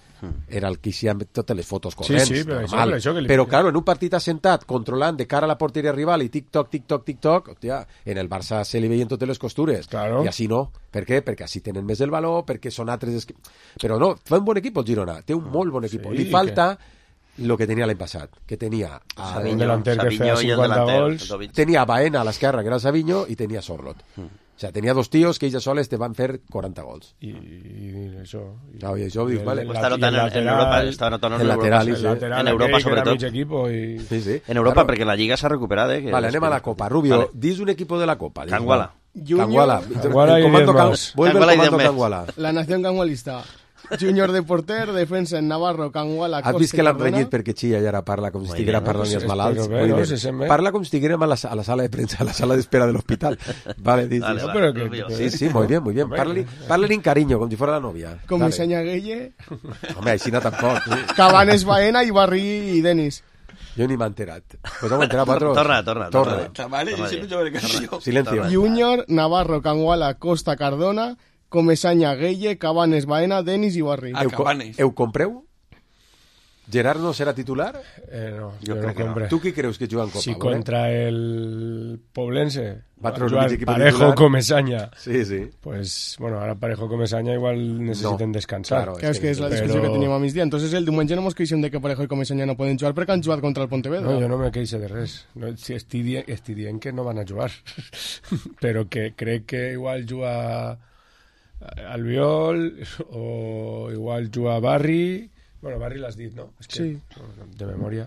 era el que hicía totes les fotos corrents, normal. Però claro, en un partit assentat, controlant de cara a la porteria rival i tic-toc, hòstia, en el Barça se li veien totes les costures, i així no. Per què? Perquè així tenen més el valor, perquè són altres... Però no, fa un bon equip el Girona, té un molt bon equip. Li falta... lo que tenía el año pasado, que tenía a un delanter que feia 50 gols, tenía a Baena a l'esquerra, que era Savinho, y tenía a Sorlot. O sea, tenía dos tíos que ells soles te van fer 40 gols. I això... No, i això dius, vale. Està notant en Europa, està notant en Europa sobretot. Sí. En Europa, perquè la Lliga s'ha recuperat. Vale, anem a la Copa. Rubio, dis un equipo de la Copa. Canguala. Canguala y 10 más. Vuelve el comando Canguala. La nación cangualista. Júnior de porter, defensa en Navarro, Canguala, Costa. Has vist que l'han renyit perquè Xilla ja ara parla com si estiguera parlant els malalts? Parla com si estiguérem a la sala de premsa, a la sala d'espera de l'hospital. Vale, sí, muy bien. Parla en cariño, com si fuera la novia. Com me enseña Gueye. Home, així no tampoc. Cabanes, Baena, Ibarri i Denis. Jo ni m'he enterat. Pues hemos enterat, Patros. Torna. Silencio. Júnior, Navarro, Canguala, Costa, Cardona, Comesaña, Gueye, Cabanes, Baena, Denis i Barri. Eu compreu? Gerard no serà titular? No, jo no compre. Tu qui creus que juga en Copa? Si contra el Poblense va jugar Parejo, Comesaña. Sí. Pues, bueno, ara Parejo, Comesaña igual necessiten descansar. Claro, és que és la discussió que teníem a migdia. Entonces el diumenge no mos queixem de que Parejo i Comesaña no poden jugar perquè han jugat contra el Pontevedra. No, jo no me queixo de res. No, si estic dient que no van a jugar. Però que crec que igual juga... Albiol, o igual juga Barri... Bueno, Barri l'has dit, no? És que, sí. De memòria.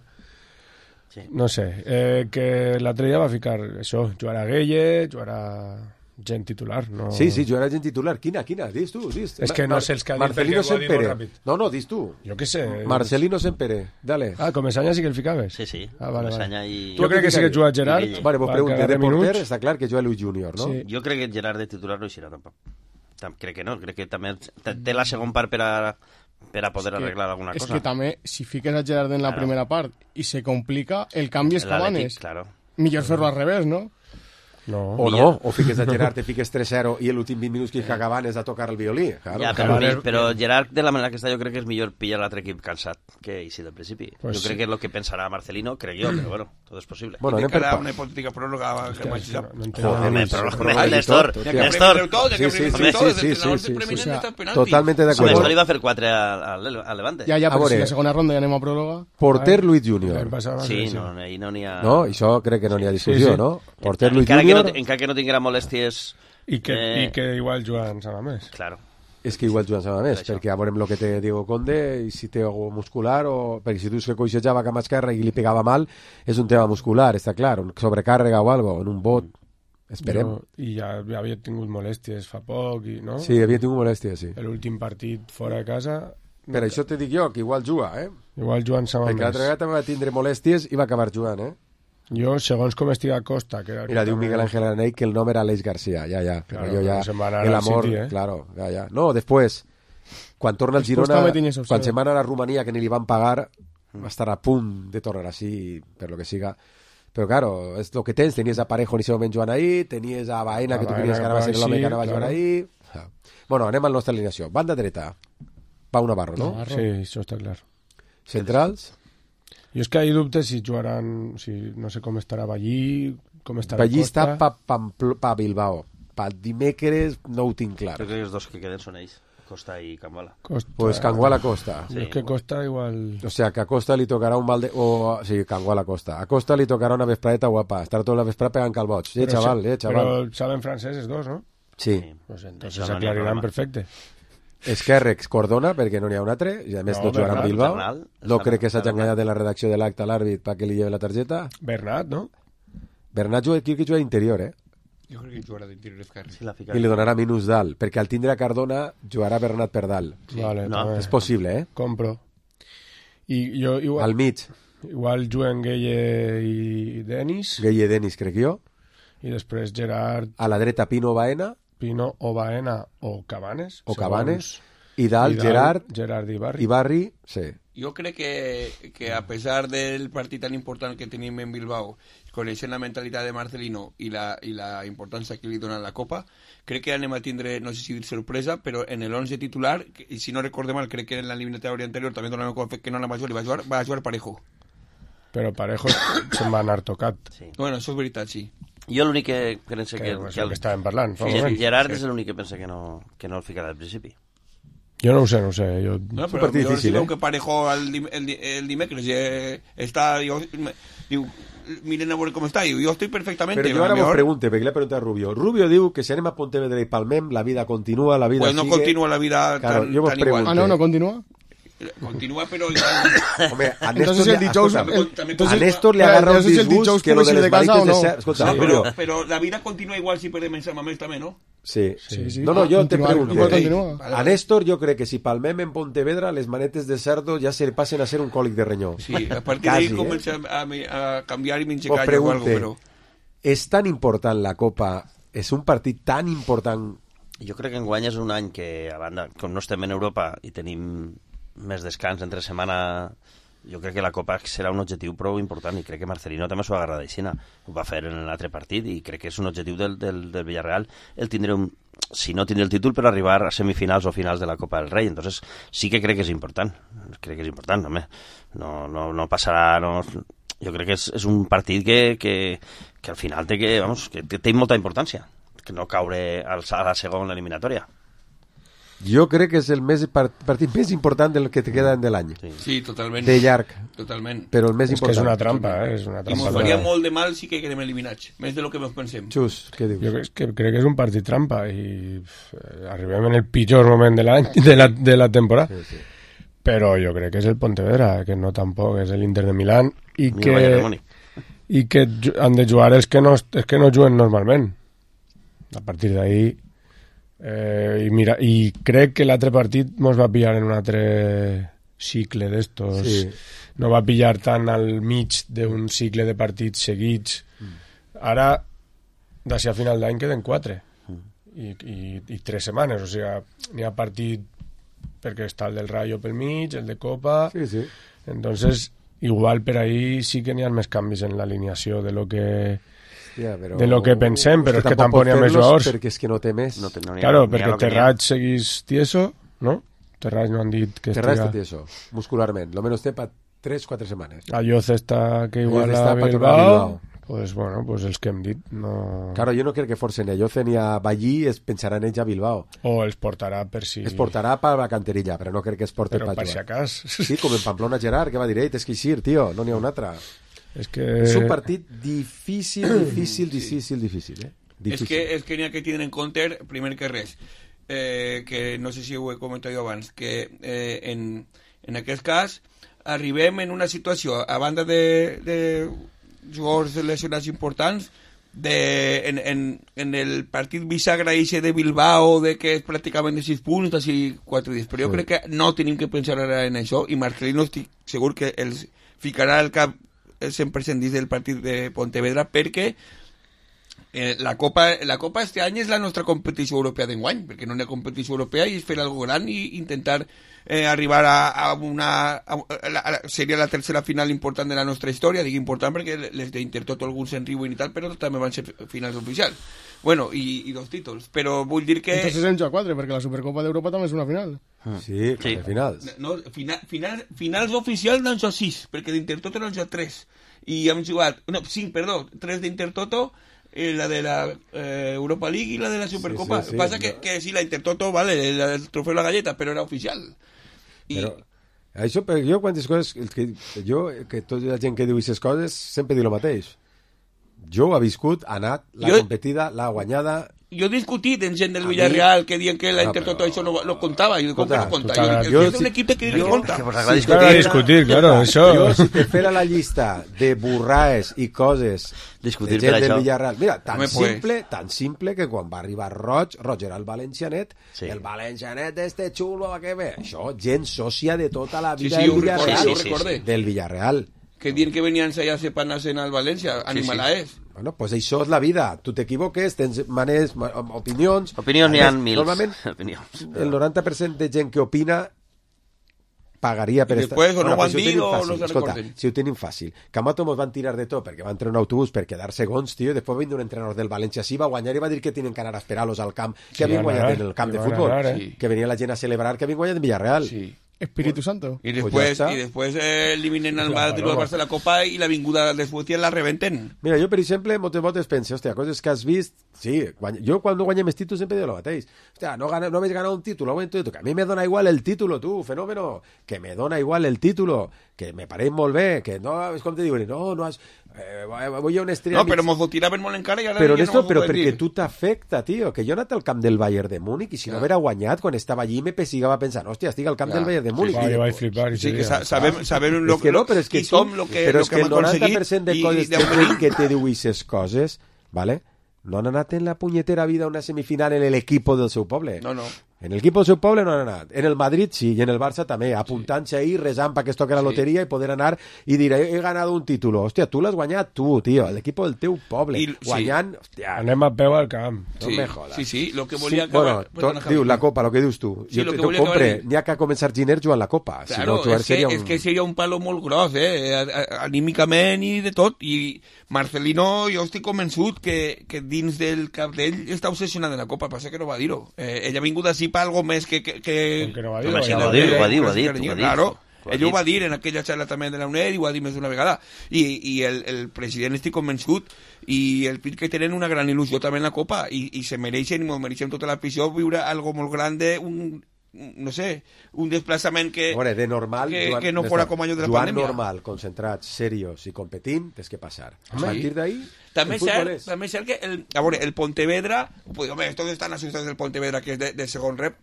Sí. No sé, que l'altre dia va ficar això, jugarà Gueye, jugarà gent titular. No... Sí, jugarà gent titular. Quina? Dis tu. És que no sé els que ha dit, Marcelino perquè ho ha dit molt ràpid. No, dis tu. Jo què sé. Marcelino Sempere, dale. Comesaña sí que el ficaves. Sí. Vale. I... Jo crec que sí que juga Gerard. Vale, pues pregunta, de porter està clar que juga Luis Junior, no? Sí. Jo crec que Gerard de titular no eixirà tampoc. Crec que no, crec que també té la segon part per a poder arreglar alguna cosa. És que també, si fiques a Gerard en la primera part i se complica, el canvi és Cabanes. Claro. Millor fer-lo al revés, no? No. O fiques a Gerard, te fiques 3-0 i l'últim 20 minuts que Cabanes a tocar el violí. Claro. Ja, però Gerard, de la manera que està, jo crec que és millor pillar l'altre equip cansat que així del principi. Pues jo crec que és el que pensarà Marcelino, crec jo, però bueno, tot és possible. Bueno, anem per una hipotètica pròrroga que Néstor. Totalmente de acuerdo. Néstor iba a fer 4 al Levante. Ja, però si la segona ronda ja anem a pròrroga. Porter Luis Junior. Sí, no n'hi ha... No, això crec que no n'hi ha discussió, no? Porter Luis Junior... Encara que no tinguera molèsties... I que igual Joan Samamés. Claro. És que igual Joan Samamés, perquè a veurem el que té Diego Conde, i si té algú muscular, o perquè si tu que coixejava cama esquerra i li pegava mal, és un tema muscular, està clar, un sobrecàrrega o algo, en un bot. Esperem. I ja havia tingut molèsties fa poc, no? Sí, havia tingut molèsties, sí. L'últim partit fora de casa... Per això te dic jo, que igual juga, Igual Joan Samamés. Perquè l'altra vegada també va tindre molèsties i va acabar jugant, Jo, segons com estic a Costa... Que era Mira, diu Miguel Ángel Araney que el nom era Aleix García, ja. Però claro, jo ja... El amor, City, claro, ja. No, després, quan torna al Girona, quan se'n va anar a Romania, que ni li van pagar, va estar a punt de tornar així, per lo que siga. Però, claro, és el que tens. Tenies a Parejo en aquest moment jugant ahí, tenies a Baena, que tu queries que anava a ser l'home que anava a jugar ahí... Bueno, anem a la nostra alineació. Banda dreta, Pau Navarro, no? Sí, això està clar. Centrals... Jo és que hi dubtes si jugaran... no sé com estarà Ballí, com estarà Ballí Costa... està pa Bilbao. Pa dimecres no ho tinc clar. Crec que els dos que queden són ells, Costa i Canguala. Pues Canguala Costa. Sí. És que Costa igual... O sea, que a Costa li tocarà un balde... Sí, Canguala Costa. A Costa li tocarà una vespradeta guapa. Estar tota la vesprada pegant calbots. Chaval. Però saben francès els dos, no? Sí. Pues entonces se aclariran perfecte. Esquerrex Cordona, perquè no n'hi ha un altre, i a més no jugarà amb Bilbao. No crec que s'hagi enganyat de la redacció de l'acte a l'àrbit perquè li lleve la targeta. Bernat, no? Bernat crec que juga d'interior, Jo crec que jugarà d'interior esquerre. I li donarà minus dalt, perquè al tindre a Cardona jugarà Bernat per dalt. Sí. Vale, és possible, Compro. I jo igual... Al mig. Igual juguen Gueye i Denis. Gueye i Denis, crec jo. I després Gerard... A la dreta Pino Baena. Pino o Baena o Cabanes. I dalt Gerard i Barri, sí. Jo crec que a pesar del partit tan important que tenim en Bilbao, coneixent la mentalitat de Marcelino i la importància que li dona la Copa, crec que anem a tindre, no sé si dir sorpresa, però en el 11 titular, i si no recorde mal, crec que en l'eliminatòria anterior també donava que no anava a jugar, va jugar Parejo. Però Parejo se'n va anar tocat. Sí. Bueno, això és veritat, sí. Jo l'únic que penso que estàvem parlant. Gerard és l'únic que pensa que no el ficarà al principi. Jo no ho sé. Jo... No, però si veu que Parejo el dimecres està... Diu, miren a veure com està, jo estic perfectament... Però jo ara vos pregunte, perquè l'he preguntat a Rubio. Rubio diu que si anem a Pontevedra i palmem, la vida continua, la vida pues no sigue... continua la vida claro, tan igual. Ah, no continua? Continúa, pero... Hombre, a Néstor le agarra un disgust que lo de les malites de ser... Escolta, pero la vida continua igual si perdem en Sant Mamés també, ¿no? Sí. No, jo te pregunto. A Néstor jo crec que si palmem en Pontevedra les manetes de cerdo ja se passen a ser un còlic de renyó. Sí, a partir d'ahí comença a canviar i menjar callo o algo, però... És tan important la Copa, és un partit tan important... Jo crec que enguany és un any que, a banda, com no estem en Europa i tenim més descans entre setmana, jo crec que la Copa serà un objectiu prou important i crec que Marcelino també s'ho agarra d'aixina, ho va fer en l'altre partit i crec que és un objectiu del Villarreal el tindre si no tindre el títol per arribar a semifinals o finals de la Copa del Rei, entonces sí que crec que és important, home. No passarà, jo crec que és un partit que al final que té molta importància, que no caure a la segona eliminatòria. Jo crec que és el partit més important del que te queda de l'any. Sí, totalment. De llarg. Totalment. Però el més important. És que és una trampa, És una trampa. I mos faria molt de mal si que quedem eliminats, més de lo que ens pensem. Xus, què dius? Jo crec que és un partit trampa i arribem en el pitjor moment de l'any, de la temporada. Sí. Però jo crec que és el Pontevedra, que no tampoc és l'Inter de Milán i que han de jugar els que no juguen normalment. A partir d'ahí i crec que l'altre partit mos va pillar en un altre cicle d'estos. Sí. No va pillar tant al mig d'un cicle de partits seguits. Ara, d'ací a final d'any queden 4 i 3 setmanes, o sigui, n'hi ha partit perquè està el del Rayo pel mig, el de Copa. Sí. Entonces, igual per ahí sí que n'hi ha més canvis en l'alineació de lo que pensem, però és que tampoc n'hi ha més jugadors. Perquè és que no té més. Claro, perquè Terrats seguís tieso, no? Terrats no han dit que Terrats està tieso, muscularment. Lo menos té per 3-4 setmanes. Ayoce està que igual a Bilbao. Pues bueno, pues els que hem dit no... Claro, jo no crec que forcen ni a Ayoce ni a Ballí, es pensaran ells a Bilbao. O els portarà per si... Es portarà per la canterilla, però no crec que es porti per jugar. Però per si acas. Sí, com en Pamplona Gerard, que va dir, és que eixir, tio, no n'hi ha un altre. És un partit difícil, difícil. Difícil. És que n'hi ha que tindre en compte, primer que res, que no sé si ho he comentat jo abans, que en aquest cas arribem en una situació, a banda de jugadors lesionats importants, en el partit bisagra de Bilbao, de que és pràcticament de 6 punts, d'ací 4 dies, però jo crec que no tenim que pensar ara en això, i Marcelino estic segur que els ficarà al cap el 100% dins del partit de Pontevedra, perquè la Copa este any és la nostra competició europea d'enguany, perquè no hi ha competició europea i és fer algo gran i intentar arribar a seria la tercera final important de la nostra història, dic important perquè les d'Intertoto alguns se'n riuen i tal, però també van ser finals oficials, bueno, i 2 títols, però vull dir que... Entonces en joc 4, perquè la Supercopa d'Europa també és una final. Sí, finals. No, finals oficials n'han jugat 6, perquè d'Intertoto n'han jugat 3, i hem jugat, 3 d'Intertoto, la de la Europa League y la de la Supercopa. Sí, pasa que sí, la Intertoto, vale, el trofeo de la galleta, pero era oficial. Però això, jo quantes coses que tota la gent que diu aquestes coses sempre diu el mateix. Jo he viscut, ha anat, l'ha competida, l'ha guanyada. Jo he discutit amb gent del Villarreal que diuen que la Intertoto això no lo contava, i com que no compta. Jo és un equip que compta. Que vos agrada discutir, claro, això. Jo, si te fera la llista de burraes i coses de gent del Villarreal, mira, tan simple que quan va arribar Roig era el valencianet, el valencianet este xulo, que ve, això, gent sòcia de tota la vida del Villarreal, del Villarreal. Que diuen que venien allà a ser panas en el València, animalaes. Bueno, pues això és la vida. Tu t'equivoques, tens maneres, opinions... Opinions n'hi ha mils. Normalment, el 90% de gent que opina pagaria per estar... I després o no ho han dit o no se recorden. Si ho tenim fàcil. Camato mos van tirar de tot perquè va entrar un autobús per quedar segons, tio, i després va venir un entrenador del València, sí, va guanyar i va dir que tenen que anar a esperar-los al camp, que havien guanyat en el camp de futbol, que venia la gent a celebrar que havien guanyat en Villarreal. Sí. Espíritu Santo. Y después eliminen al Madrid del Barça de la Copa y la vinguda de Suecia la rebenten. Mira, jo, per exemple, moltes voltes penso, hòstia, coses que has vist... Sí, jo quan no guanyem els títols sempre dic el mateix. Hòstia, no habéis ganado un título, que a mi me dona igual el título, tu, fenómeno, que me dona igual el título, que me pareix molt bé, que no, és com te diuen, no has... voy a una estrella... No, però mos ho tiraven molt encara i ara... Però esto, però perquè tu t'afecta, tio, que jo he anat al camp del Bayern de Múnich i si no haguera guanyat, quan estava allí me pessigava pensant, hòstia, estic al camp del Bayern de Múnich. Sí, vaig flipar. Sí, que sabem lo que som, lo que hem aconseguit. Però és que el 90% de coses que te diu aquestes coses, ¿vale? No han anat en la punyetera vida a una semifinal en el equipo del seu poble. No. En el equipo del seu poble no han anat. En el Madrid sí, i en el Barça també, apuntant-se ahí, rezant perquè es toque la loteria i poder anar i dir, he ganado un título. Hòstia, tu l'has guanyat tu, tio, l'equip del teu poble. Guanyant... Hòstia. Anem a peu al camp. No me jodas. Sí, lo que volia acabar... Bueno, diu, la Copa, lo que dius tu. Sí, jo t'ho compre, n'hi ha que començar Giner jugant la Copa. Claro, és que seria un palo molt gros, anímicament i de tot, i Marcelino, jo estic convençut que dins del cap d'ell està obsessionat en la Copa, passa que no va dir-ho. Ell ha vingut així per algo més que no va dir-ho. Ho ha dit. Claro, ell ho va dir en aquella xarxa també de la UNED i ho ha dit més d'una vegada. I el president estic convençut i el PIT que tenen una gran il·lusió també en la Copa i se mereixen i mereixen tota l'afició viure algo molt gran no sé, un desplaçament que, de normal, que no fora com allò de la Joan pandèmia. normal, concentrats, serios i competint, tens que passar. A partir d'ahí, també el futbol és. També és cert que el Pontevedra, pues, hombre, todos están asustados del Pontevedra, que és de segon rep.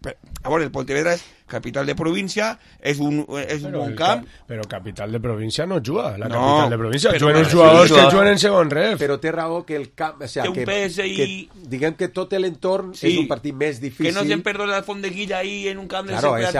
El Pontevedra és capital de província, és un bon camp. Però capital de província no juga, la capital de província. Juguen uns jugadors que juguen en segon rep. Però té raó que el camp... O sigui, té un pes que diguem que tot l'entorn és un partit més difícil. Que no se'n perdó la Fondeguilla ahí en un camp de l'únic que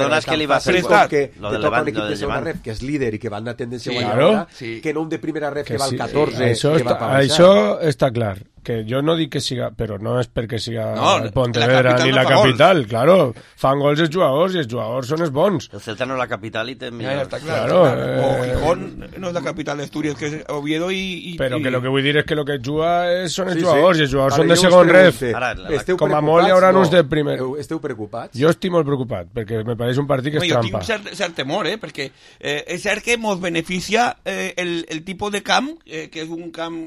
dona és que li va fer que toca un equip de segona rep, que és líder i que va anar tendència guanyadora, que no un de primera rep que va al 14 Això està clar, que jo no dic que siga, però no és perquè siga el Pontevedra ni la capital, claro, fan gols els jugadors i els jugadors són els bons. El Celta no és la capital i té millor. Està clar. O Gijón no és la capital d'Astúries, que és Oviedo i... Però que lo que vull dir és que lo que juga són els jugadors, i els jugadors són de segon ref. Com a molt hi haurà uns de primer. Esteu preocupats? Jo estic molt preocupat, perquè me pareix un partit que és trampa. Jo tinc cert temor, perquè és cert que ens beneficia el tipus de camp, que és un camp,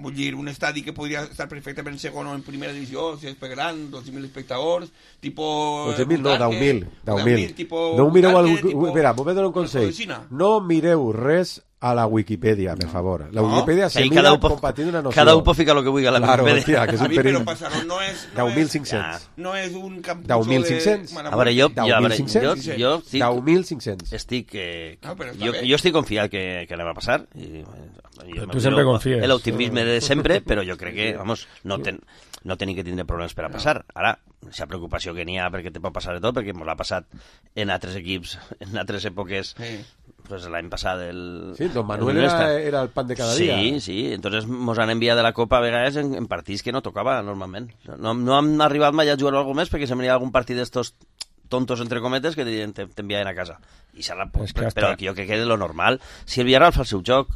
vull dir, un estadi que podria estar perfectament en segon o en primera divisió, si és per gran, 12.000 espectadors, tipus... 12.000 no, 10.000. No mireu... Espera, m'ho vaig donar un consell. No mireu res a la Wikipedia, per favor. La Wikipedia se mira compartint una noció. Cada un pot ficar el que vulgui a la Wikipedia. Que és un perill. Però passar-ho no és... 10.500. No és un camp... 10.500? A veure, jo 10.500. Jo estic confiat que anem a passar. Tu sempre confies. L'optimisme de sempre, però jo crec que, vamos, no tenim que tindre problemes per a passar. Ara, aquesta preocupació que n'hi ha perquè te pot passar de tot, perquè ens l'ha passat en altres equips, en altres èpoques, pues l'any passat Sí, Don Manuel era el pan de cada dia. Sí, entonces mos han enviat de la Copa a vegades en partits que no tocava normalment. No hem arribat mai a jugar alguna més perquè sempre hi ha algun partit d'estos tontos, entre cometes, que t'enviaven a casa. Però jo crec que és lo normal. Si el Villarreal fa el seu joc,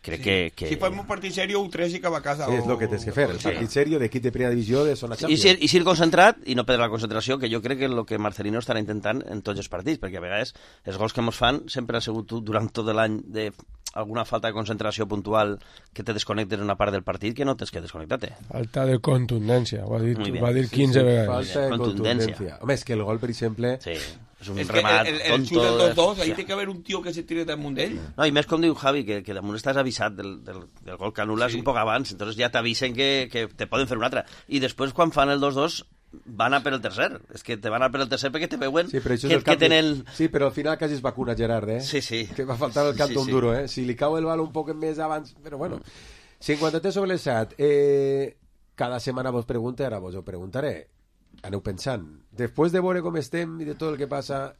crec que... Si fem un partit serio, un 3 i cap a casa. Sí, és el que tens que fer, el partit serio d'equip de primera divisió de zona Champions. I ser concentrat i no perdre la concentració, que jo crec que és el que Marcelino estarà intentant en tots els partits, perquè a vegades els gols que ens fan sempre ha sigut durant tot l'any de alguna falta de concentració puntual que te desconnectes en una part del partit que no tens que desconnectar-te. Falta de contundència, ho ha dit 15 vegades. Falta de contundència. Home, és que el gol, per exemple... Sí. És un remat tonto. El xut del 2-2, ahí té que haver un tio que se tire damunt d'ell. No, i més com diu Javi, que damunt estàs avisat del gol que anules un poc abans, entonces ja t'avisen que te poden fer un altre. I després, quan fan el 2-2, van a per el tercer. És que te van a per el tercer perquè te veuen que tenen... Sí, però al final quasi es vacuna Gerard, Sí. Que va faltar el canto duro, Si li cau el bal un poc més abans... Però bueno, 53 sobre el 7. Cada setmana vos pregunte, ara vos ho preguntaré. Aneu pensant, després de veure com estem i de tot el que passa,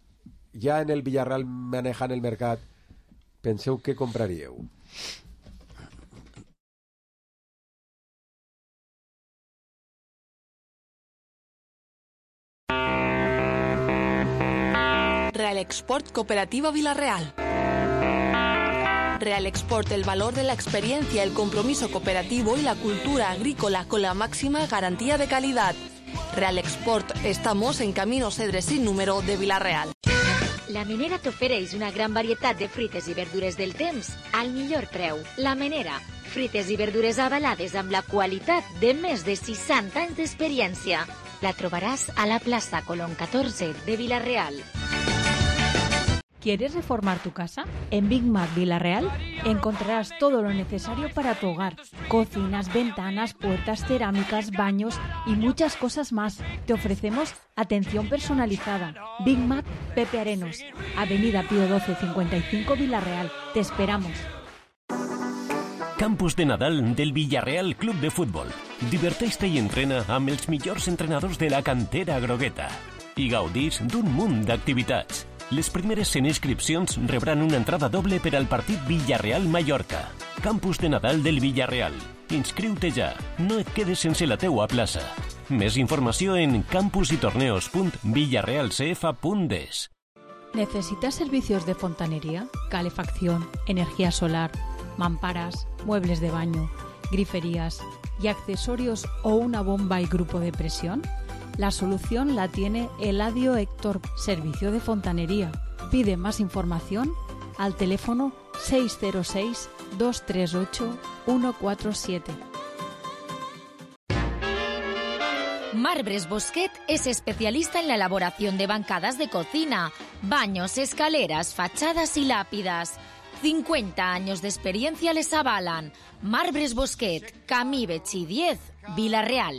ja en el Villarreal manejant el mercat, penseu què compraríeu? Real Export Cooperativa Villarreal. Real Export, el valor de la experiencia, el compromiso cooperativo y la cultura agrícola con la máxima garantía de calidad. Real Export, estamos en Camino Cedre sin número de Villarreal. La Menera t'ofereix una gran varietat de fruites i verdures del temps al millor preu. La Menera, fruites i verdures avalades amb la qualitat de més de 60 anys d'experiència. La trobaràs a la plaça Colón 14 de Villarreal. ¿Quieres reformar tu casa? En Big Mac Villarreal encontrarás todo lo necesario para tu hogar. Cocinas, ventanas, puertas, cerámicas, baños y muchas cosas más. Te ofrecemos atención personalizada. Big Mac Pepe Arenos, Avenida Pío 12 55 Villarreal. Te esperamos. Campus de Nadal del Villarreal Club de Futbol. Diverteix-te i entrena amb els millors entrenadors de la cantera grogueta. I gaudís d'un munt d'activitats. Les primeres 100 inscripcions rebran una entrada doble per al partit Villarreal-Mallorca. Campus de Nadal del Villarreal. Inscriu-te ja. No et quedes sense la teua plaça. Més informació en campusytorneos.villarrealcf.es. ¿Necesitas servicios de fontanería, calefacción, energía solar, mamparas, muebles de baño, griferías y accesorios o una bomba y grupo de presión? La solución la tiene Eladio Héctor, Servicio de Fontanería. Pide más información al teléfono 606-238-147. Marbres Bosquet es especialista en la elaboración de bancadas de cocina, baños, escaleras, fachadas y lápidas. 50 años de experiencia les avalan. Marbres Bosquet, Camí Betxí 10, Vila-real.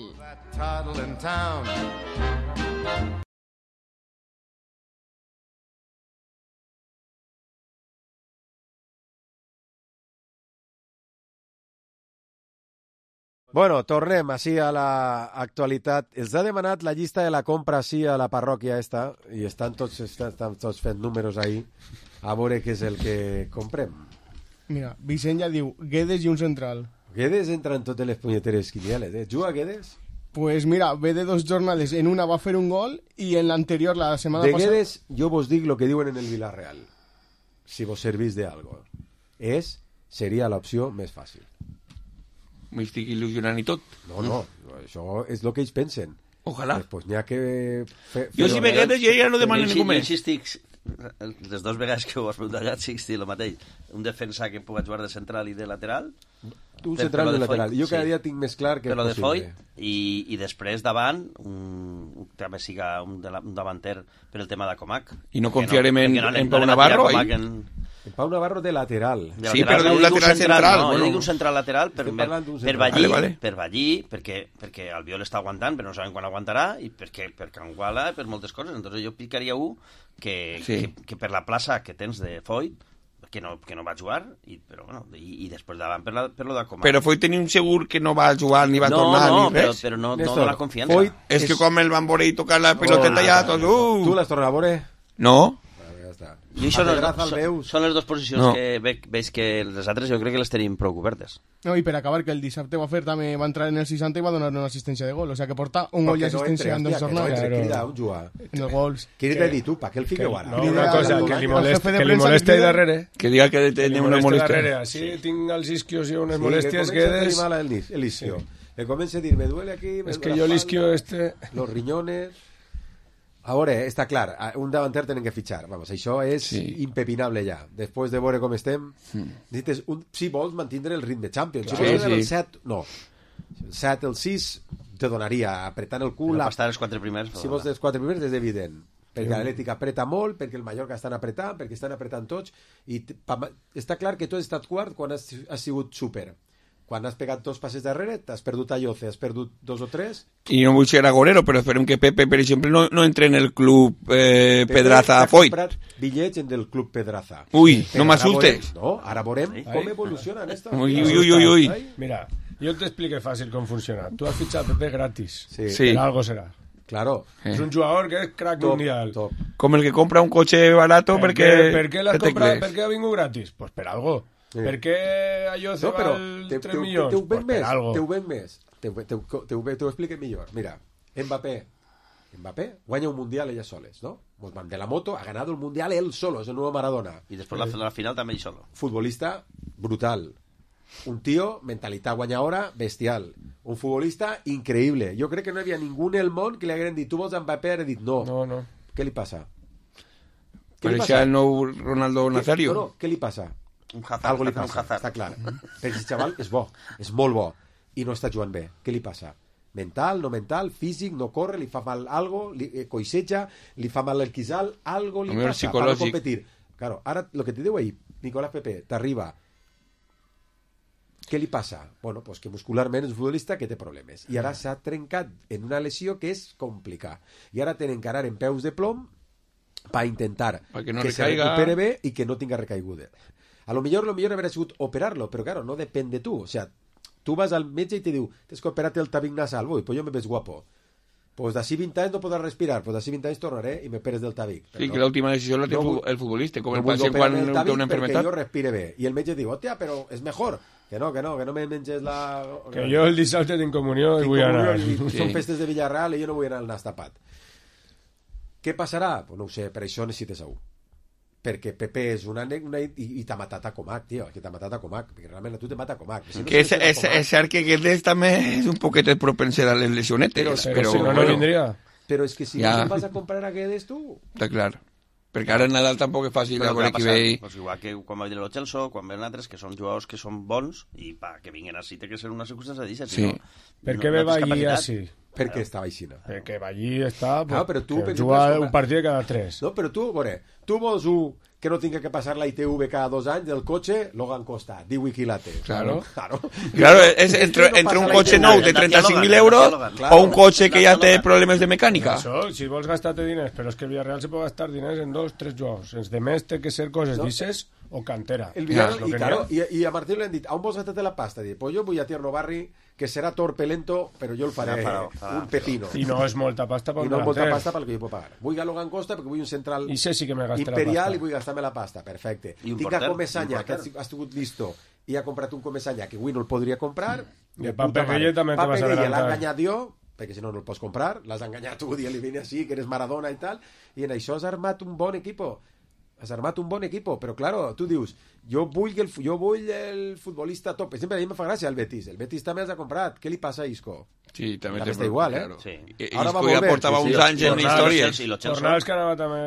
Bueno, tornem així a l'actualitat. Els ha demanat la llista de la compra així a la parròquia esta i estan tots fent números ahí a veure què és el que comprem. Mira, Vicent ja diu Guedes i un central. Guedes entra en totes les punyeteres quinieles, eh? Juga Guedes? Pues mira, ve de 2 jornades. En una va fer un gol i en l'anterior, la setmana passada... De Guedes, jo vos dic lo que diuen en el Villarreal. Si vos servís de algo. Seria l'opció més fàcil. M'estic il·lusionant i tot. No, això és el que ells pensen. Ojalà. Pues n'hi ha que... Jo si me Guedes ja no demano ningú més. Jo estic... Les 2 vegades que ho has preguntat ja estic el mateix. Un defensa que pugui jugar de central i de lateral. Un central i de lateral. Jo cada dia tinc més clar que és possible. Però de Foyt i després davant també siga un davanter per el tema de Comac. I no confiarem en Pau Navarro? En Pau Navarro de lateral. Sí, però d'un lateral central. No, jo dic un central lateral per Ballí, perquè Albiol està aguantant, però no sabem quan aguantarà, i perquè per Canguala, per moltes coses. Entonces jo picaria que per la plaça que tens de Foyt, que no va jugar, però bueno, i després davant per lo de Comac. Però Foyt tenia un segur que no va jugar ni va tornar ni res. Però no dona confiança. És que com el van veure i tocar la piloteta ja tot... Tu l'has tornat a veure? No. I això són les 2 posicions que veig que les altres jo crec que les tenim prou cobertes. No, i per acabar, que el dissabte també va entrar en el 60 i va donar una assistència de gol, o sea que porta un gol i assistència en 2 jornades. En els gols. Què t'he dit tu? Per què el fiqueu ara? Una cosa, que li moleste darrere. Que diga que tenia una molèstia. Així tinc els isquios i unes molèsties Guedes. El isquio. Me comença a dir, me duele aquí... És que jo l'isquio Los riñones... A veure, està clar, un davanter tenen que fitxar. Vamos, això és impepinable ja. Després de veure com estem, si vols mantindre el ritme Champions. Si vols el 7, no. El 7, el 6, te donaria apretant el cul. Per estar els 4 primers. Si vols els 4 primers és evident. Perquè l'Atlètic apreta molt, perquè el Mallorca estan apretant, perquè estan apretant tots. I està clar que tu has estat quart quan has sigut súper. Quan has pegat 2 passes darrere, t'has perdut a Lloce, has perdut 2 o 3... I no vull ser agorero, però esperem que Pepe, per exemple, no entre en el club Pedraza Foyt. Pepe ha comprat bitllets en el club Pedraza. Ui, no m'assustes. No, ara veurem com evolucionen esto. Ui. Mira, jo t'explico fàcil com funciona. Tu has fitxat Pepe gratis. Sí. Per algo serà. Claro. És un jugador que és crack mundial. Com el que compra un cotxe barato perquè... Per què l'has comprat? Per què ha vingut gratis? Pues per algo. Per què allò se val 3 milions? Te ho ven més. Te ho explique millor. Mira, Mbappé guanya un mundial ella soles, ¿no? De la moto ha ganado el mundial él solo, es el nuevo Maradona. Y después la final también solo. Futbolista brutal. Un tío, mentalitat guanyadora, bestial. Un futbolista increïble. Jo crec que no hi havia ningú en el món que li hagueren dit, tu vols Mbappé? Ha dit no. No. Què li passa? Pareixia el nou Ronaldo Nazario. No, què li passa? Un Hazard. Algo li passa, està clar. Perquè el xaval és bo, és molt bo, i no està jugant bé. Què li passa? Mental, no mental, físic, no corre, li fa mal algo, coixeja, li fa mal el quisal, algo li passa para competir. Claro, ara, lo que te diu ahí, Nicolás Pepe, t'arriba. Què li passa? Bueno, pues que muscularment és un futbolista que té problemes. I ara s'ha trencat en una lesió que és complicada. I ara tenen que anar en peus de plom per intentar que se recupere bé i que no tinga recaiguda. A lo millor haver sigut operar-lo, però claro, no depèn de tu. O sea, tu vas al metge i te diu, tens que operar-te el tabic nasal. Ui, pues jo me ves guapo. Pues d'ací 20 anys no podràs respirar, pues d'ací 20 anys tornaré i me peres del tabic. Sí, que l'última decisió la té el futbolista, com el pacient quan té una enfermedad. Perquè jo respire bé. I el metge diu, hòstia, però és mejor. Que no me menges la... Que jo el dissabte tinc comunió i vull anar. Són festes de Villarreal i jo no vull anar al nas tapat. Què passarà? Pues no ho sé, per això necessites a un. Perquè Pepe és una i t'ha matat a Comac, tio, que t'ha matat a Comac, perquè realment a tu te mata Comac. Que és cert que Guedes també és un poquet propenser a les lesionetes, però si no vindria. Però és que si no vas a comprar a Guedes tu... Està clar. Perquè ara en Nadal tampoc és fàcil veure qui ve... Pues igual que quan va dir el Chelsea, quan ven altres que són jugadors que són bons i que vinguin així té que ser una circumstància d'això. Sí. Per què ve Ballí així? Perquè estava aixina. Perquè allí està... Claro, però tu... juga un partit cada 3. No, però tu, tu vols un que no tinga que passar la ITV cada 2 anys del cotxe, Logan Costa, 18 quilates. Claro, és entre un cotxe nou de 35.000 euros o un cotxe que ja té problemes de mecànica. Això, si vols gastar-te diners, però és que el Villarreal se pot gastar diners en 2-3 jocs. Els de més té que ser coses d'isses o cantera. El Villarreal, i a Martín li han dit, on vols gastar-te la pasta? Dic, pues jo vull a Tierno Barri, que serà torpe lento, però jo el faré un pepino. I no és molta pasta pel I no és molta pasta pel que jo puc pagar. Vull a Logan Costa perquè vull un central imperial i vull gastar-me la pasta. Perfecte. Tinc a Comesaña, que has tingut listo, i ha comprat un Comesaña que avui no el podria comprar. I el Pape Gueye també te vas a adelantar. L'ha enganyat jo, perquè si no, no el pots comprar. L'has enganyat tu, i li vine així, que eres Maradona i tal. I en això has armat un bon equipo. Has armat un bon equipo, però claro, tu dius, jo vull el futbolista top. Sempre a mi me fa gràcia el Betis. El Betis també els ha comprat. Què li passa a Isco? Sí, també està igual, claro. Sí. Isco ja portava uns anys en història. Fornals que anava també...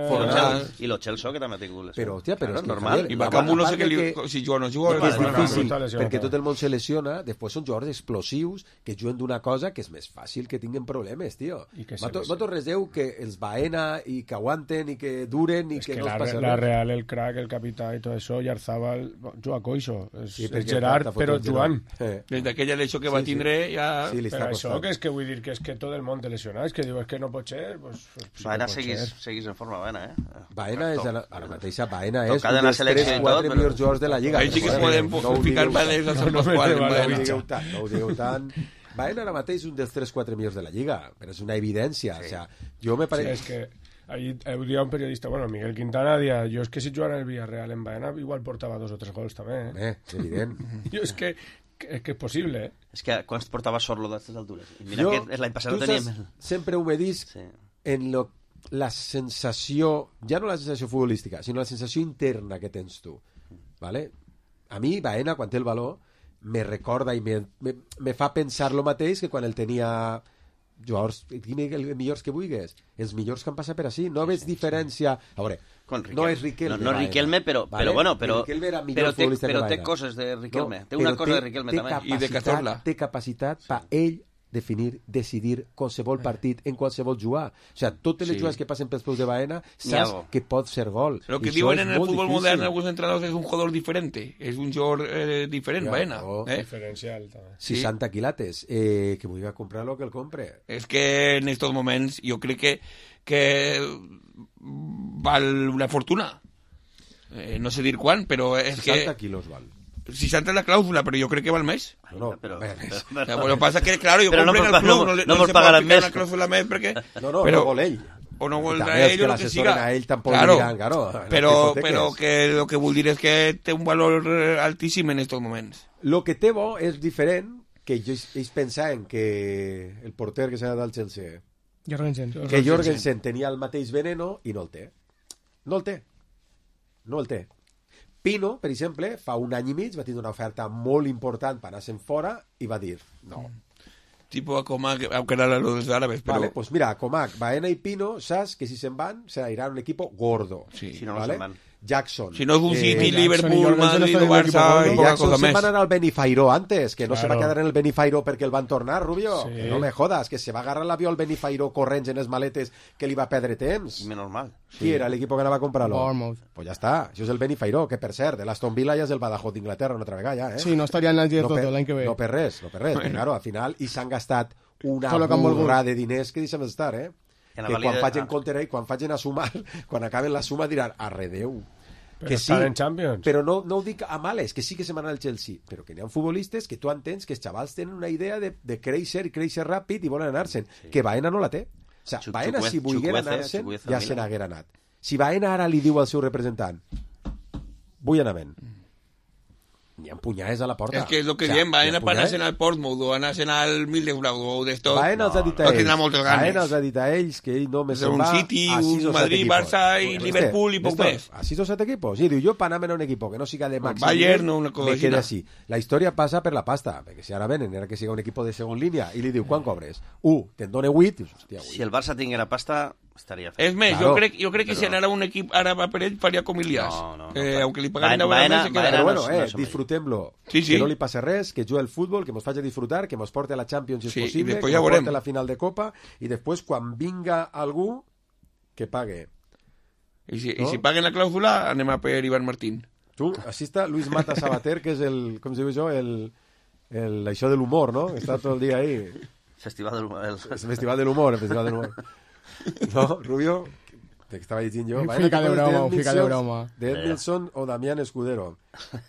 I lo Chelsea que també ha tingut lesió. Però, hòstia, però és normal. I Bacamu no sé si juga o no juga. És difícil, perquè tot el món se lesiona, després són jugadors explosius que juguen d'una cosa que és més fàcil que tinguin problemes, tio. Vosaltres reseu que els Baena i que aguanten i que duren i que no es passa res. La Real, el crack, el capità i tot això, i Arzabal juga coixo. És Gerard, però jugant. Des d'aquella lesió que va tindre ja... Per això que és que vull dir que és que tot el món té lesionat, és que diu que no pot ser, pues Baena seguís en forma, Baena, Baena és ara mateixa, Baena és un dels 3-4 millors jugadors de la Lliga. Ahí sí que es podem ficar Baena no ho digueu tant. Baena ara mateix és un dels 3-4 millors de la Lliga, però és una evidència, o sea, jo me pareix... Sí, és que ahí dia un periodista, bueno, Miguel Quintana dia, jo és que si jugara el Villarreal en Baena igual portava 2 o 3 gols també, és evident. Jo és que és possible, És que quan es portava Sorlo d'aquestes altures. I mira que l'any passat no teníem... Sempre ho me dis en la sensació, ja no la sensació futbolística, sinó la sensació interna que tens tu. ¿Vale? A mi, Baena, quan té el valor, me recorda i me fa pensar lo mateix que quan el tenia... jugadors, els millors que vulguis, els millors que han passat per així, no veig diferència. A veure, no és Riquelme, no Riquelme, però bueno, però té coses de Riquelme, té una cosa de Riquelme també, i de Cazorla. Té capacitat per ell definir, decidir qualsevol partit en qualsevol jugar. O sigui, totes les jugades que passen pels peus de Baena saps que pot ser gol. Lo que diuen en el fútbol modern alguns entrenadors és un jugador diferente, és un jugador diferent, Baena. Diferencial també. 60 quilates, que vull comprar lo que el compre. És que en estos moments jo crec que val una fortuna. No sé dir quan, però és 60 quilos val. 60 es la clàusula, però jo crec que val més. No, però lo que pasa es que, claro, yo compré en el club, no se puede aplicar una clàusula més perquè... No vol ell. O no vol ell o lo que siga. A ell tampoc diran, però que lo que vull dir és que té un valor altíssim en estos moments. Lo que té bo és diferent que ells pensaven que el porter que s'ha del Chelsea, que Jorgensen tenia el mateix veneno i no el té. No el té. Pino, per exemple, fa un any i mig va tindre una oferta molt important per anar-se'n fora i va dir no. Tipo a Comac, aunque eran los árabes, pero... Vale, pues mira, Comac, Baena y Pino, saps que si se'n van, se irán un equipo gordo. Sí, si no, ¿vale? No se'n van. Jackson. Si no és un City, Liverpool, Madrid o Barça... Jackson se'n va anar al Benifairó antes, que no se va quedar en el Benifairó perquè el van tornar, Rubio. Sí. Que no me jodas, que se va agarrar l'avió al Benifairó corrents en les maletes que li va perdre temps. Menos mal. Qui era l'equip que anava a comprar-lo? Bournemouth. Pues ja està, això és el Benifairó, que per cert, de l'Aston Villa ja és el Badajoz d'Inglaterra una altra vegada, ja, Sí, no estaria en el Giro l'any que ve. No per res, bueno. Claro, al final, i s'han gastat una burra de diners que deixem d'estar, que quan facin compte i quan facin a sumar, quan acaben la suma diran, arredeu. Però que sí, en Champions. Però no ho dic a males, que sí que se van al Chelsea, però que n'hi ha futbolistes que tu entens que els xavals tenen una idea de créixer i créixer ràpid i volen anar-se'n, que Baena no la té. O sigui, Baena si volguera anar-se'n ja se n'haguera anat. Si Baena ara li diu al seu representant vull anar-me'n, n'hi ha punyades a la porta. És que és el que diem, Baena per anar-se'n al Portsmouth o anar-se'n al Middlesbrough o d'esto, Baena els ha dit a ells, Baena els ha dit a ells que ell només se'n va un City, un Madrid, Barça i Liverpool i poc més. A 6 o 7 equipos. I diu, jo per anar-me'n a un equip que no siga de màxim Bayern o una cosa me queda així. La història passa per la pasta, perquè si ara venen, era que siga un equip de segon línia i li diu, quan cobres? Te'n dona 8, dius, hòstia, 8. Si el Barça tinguera pasta, És més, jo crec que si anara un equip àrab per ell faria com Ilias. Aunque li pagaran Baena, però bueno, disfrutem-lo. Que no li passe res, que jugui al futbol, que mos faci disfrutar, que mos porte a la Champions si és possible, que mos porte a la final de Copa, i després, quan vinga algú, que pague. I si paguen la clàusula, anem a per Ivan Martín. Tu, així està Luis Mata Sabater, que és el, com diu jo, això de l'humor, no? Està tot el dia ahí. Festival de l'humor. Festival de l'humor, festival de l'humor. No, Rubio, que estava llegint jo. Fica de broma. De Edmilson o Damián Escudero.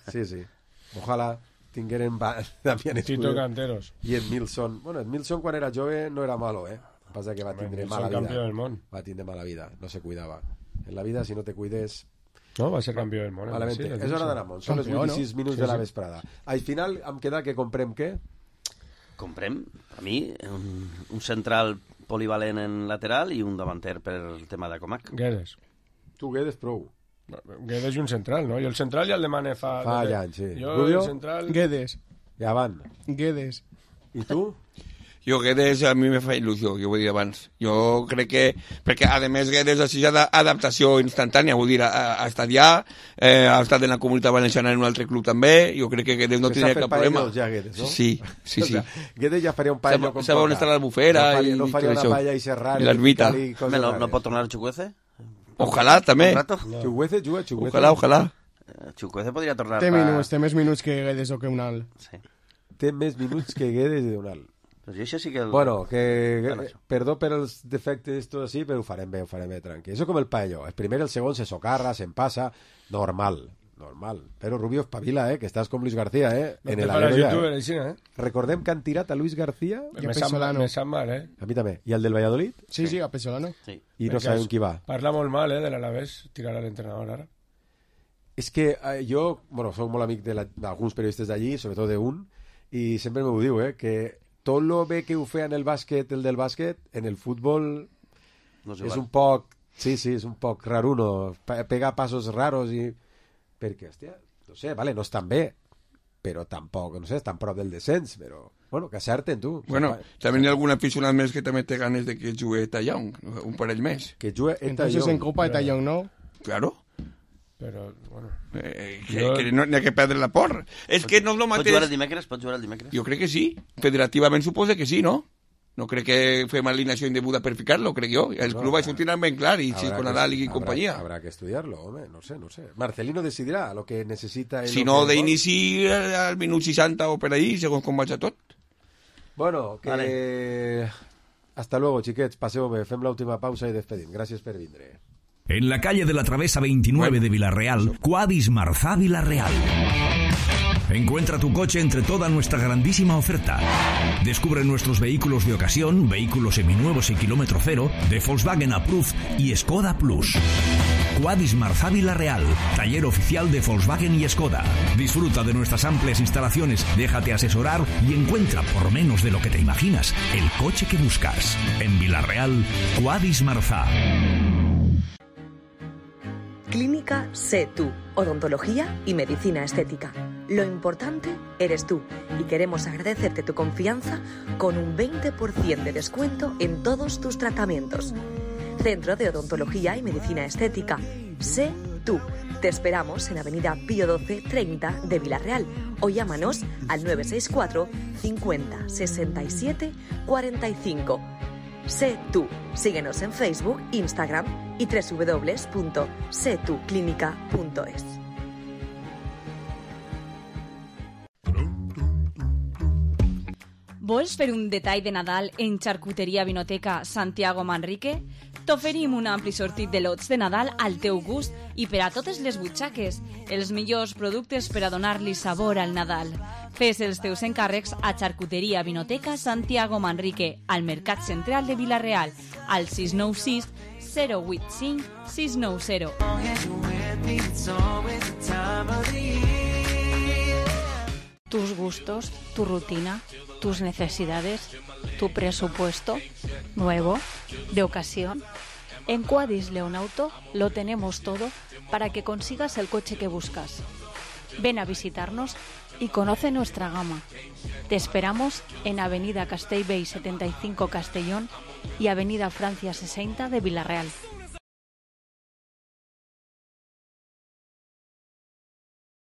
Sí. Ojalà tingueren Damián Escudero. Tito Canteros. I Edmilson. Bueno, Edmilson quan era jove no era malo, Passa que va tindre mala vida. Campió del món. Va tindre mala vida, no se cuidava. En la vida, si no te cuides... No, va ser campió del món. Malamente. És hora d'anar a Mont. Són les 26 minuts de la vesprada. Al final, em queda que comprem què? Comprem, a mi, un central polivalent en lateral i un davanter per el tema de Comac. Guedes. Tu Guedes prou. Guedes i un central, no? Jo el central ja el demane fa anys, sí. Jo el central... Guedes. Ja van. Guedes. I tu? Jo Guedes a mi me fa il·lusió, jo ho he dit abans. Jo crec que... Perquè, a més, Guedes ha sigut adaptació instantània, vull dir, ha estat ja, ha estat en la Comunitat Valenciana en un altre club també, jo crec que Guedes no tindria cap problema. Ja, Guedes, no? Sí. O sea, Guedes ja faria un paello com toca. On està l'Albufera no faria una paella i serrar. I l'Arbita. ¿No pot tornar Chukwueze? Ojalà, també. Chukwueze juga, Chukwueze. Ojalà. Chukwueze podria tornar té més minuts que Guedes o que Unal. Sí. Té més minuts que Guedes i Unal. Pues això sí que... Bueno, perdó per els defectes, tot així, però ho farem bé, tranquil. Això com el paello. El primer i el segon se socarra, se'n passa, normal. Però Rubio espavila, que estàs com Luis García, en el Alero. Recordem que han tirat a Luis García i a Pesolano. Me sap mal, A mi també. I el del Valladolid? Sí, a Pesolano. I no sabem qui va. Parla molt mal, de l'Alavés, tirar a l'entrenador ara. És que jo, soc molt amic d'alguns periodistes d'allí, sobretot d'un, i sempre m'ho diu, que tot lo bé que ho feia en el bàsquet, el del bàsquet, en el futbol és un poc... Sí, és un poc raruno. Pega passos raros i... Perquè, hòstia, no sé, vale, no estan bé, però tampoc, no sé, estan prop del descens, però... Bueno, que acerten, tu. Bueno, també hi ha algun aficionat més que també té ganes de que jugui Tallón, un parell més. Que jugui Tallón. Entonces en Copa Tallón, ¿no? Claro. Però, bueno... que no n'hi ha que perdre la por. És que no és el mateix... Pot jugar el dimecres? Jo crec que sí. Federativament suposa que sí, no? No crec que fem alineació indeguda per ficar-lo, crec jo. El club va sortir ben clar, i si con Nadal i companyia. Habrá que estudiarlo, home, no sé. Marcelino decidirà lo que necessita... Si no, d'inici al minut 60 o per ahí, segons com vaig a tot. Bueno, que... Vale. Hasta luego, chiquets. Passeu bé, fem l'última pausa i despedim. Gràcies per vindre. En la calle de la Travesa 29 de Villarreal, Quadis Marzá Villarreal. Encuentra tu coche entre toda nuestra grandísima oferta. Descubre nuestros vehículos de ocasión, vehículos seminuevos y kilómetro cero, de Volkswagen Approved y Skoda Plus. Quadis Marzá Villarreal, taller oficial de Volkswagen y Skoda. Disfruta de nuestras amplias instalaciones, déjate asesorar y encuentra, por menos de lo que te imaginas, el coche que buscas. En Villarreal, Quadis Marzá. Clínica Sé Tú, odontología y medicina estética. Lo importante eres tú y queremos agradecerte tu confianza con un 20% de descuento en todos tus tratamientos. Centro de Odontología y Medicina Estética. Sé Tú. Te esperamos en Avenida Pío 12 30 de Villarreal o llámanos al 964 50 67 45. Sé Tú. Síguenos en Facebook, Instagram y www.setuclinica.es. Vols fer un detall de Nadal en Xarcuteria Vinoteca Santiago Manrique? T'oferim un ampli sortit de lots de Nadal al teu gust i per a totes les butxaques. Els millors productes per a donar-li sabor al Nadal. Fes els teus encàrrecs a Xarcuteria Vinoteca Santiago Manrique, al Mercat Central de Villarreal, al 696 085 690. Tus gustos, tu rutina, tus necesidades, tu presupuesto, nuevo, de ocasión. En Quadis León Auto lo tenemos todo para que consigas el coche que buscas. Ven a visitarnos y conoce nuestra gama. Te esperamos en Avenida Castellbell 75 Castellón y Avenida Francia 60 de Vila-real.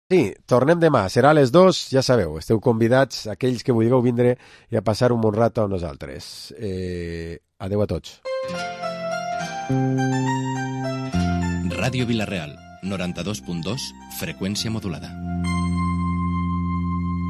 Sí, tornem demà. Serà a les 2, ja sabeu, esteu convidats, aquells que vulgueu vindre i a passar un bon rato amb nosaltres. Adeu a tots. Ràdio Vila-real, 92.2, freqüència modulada.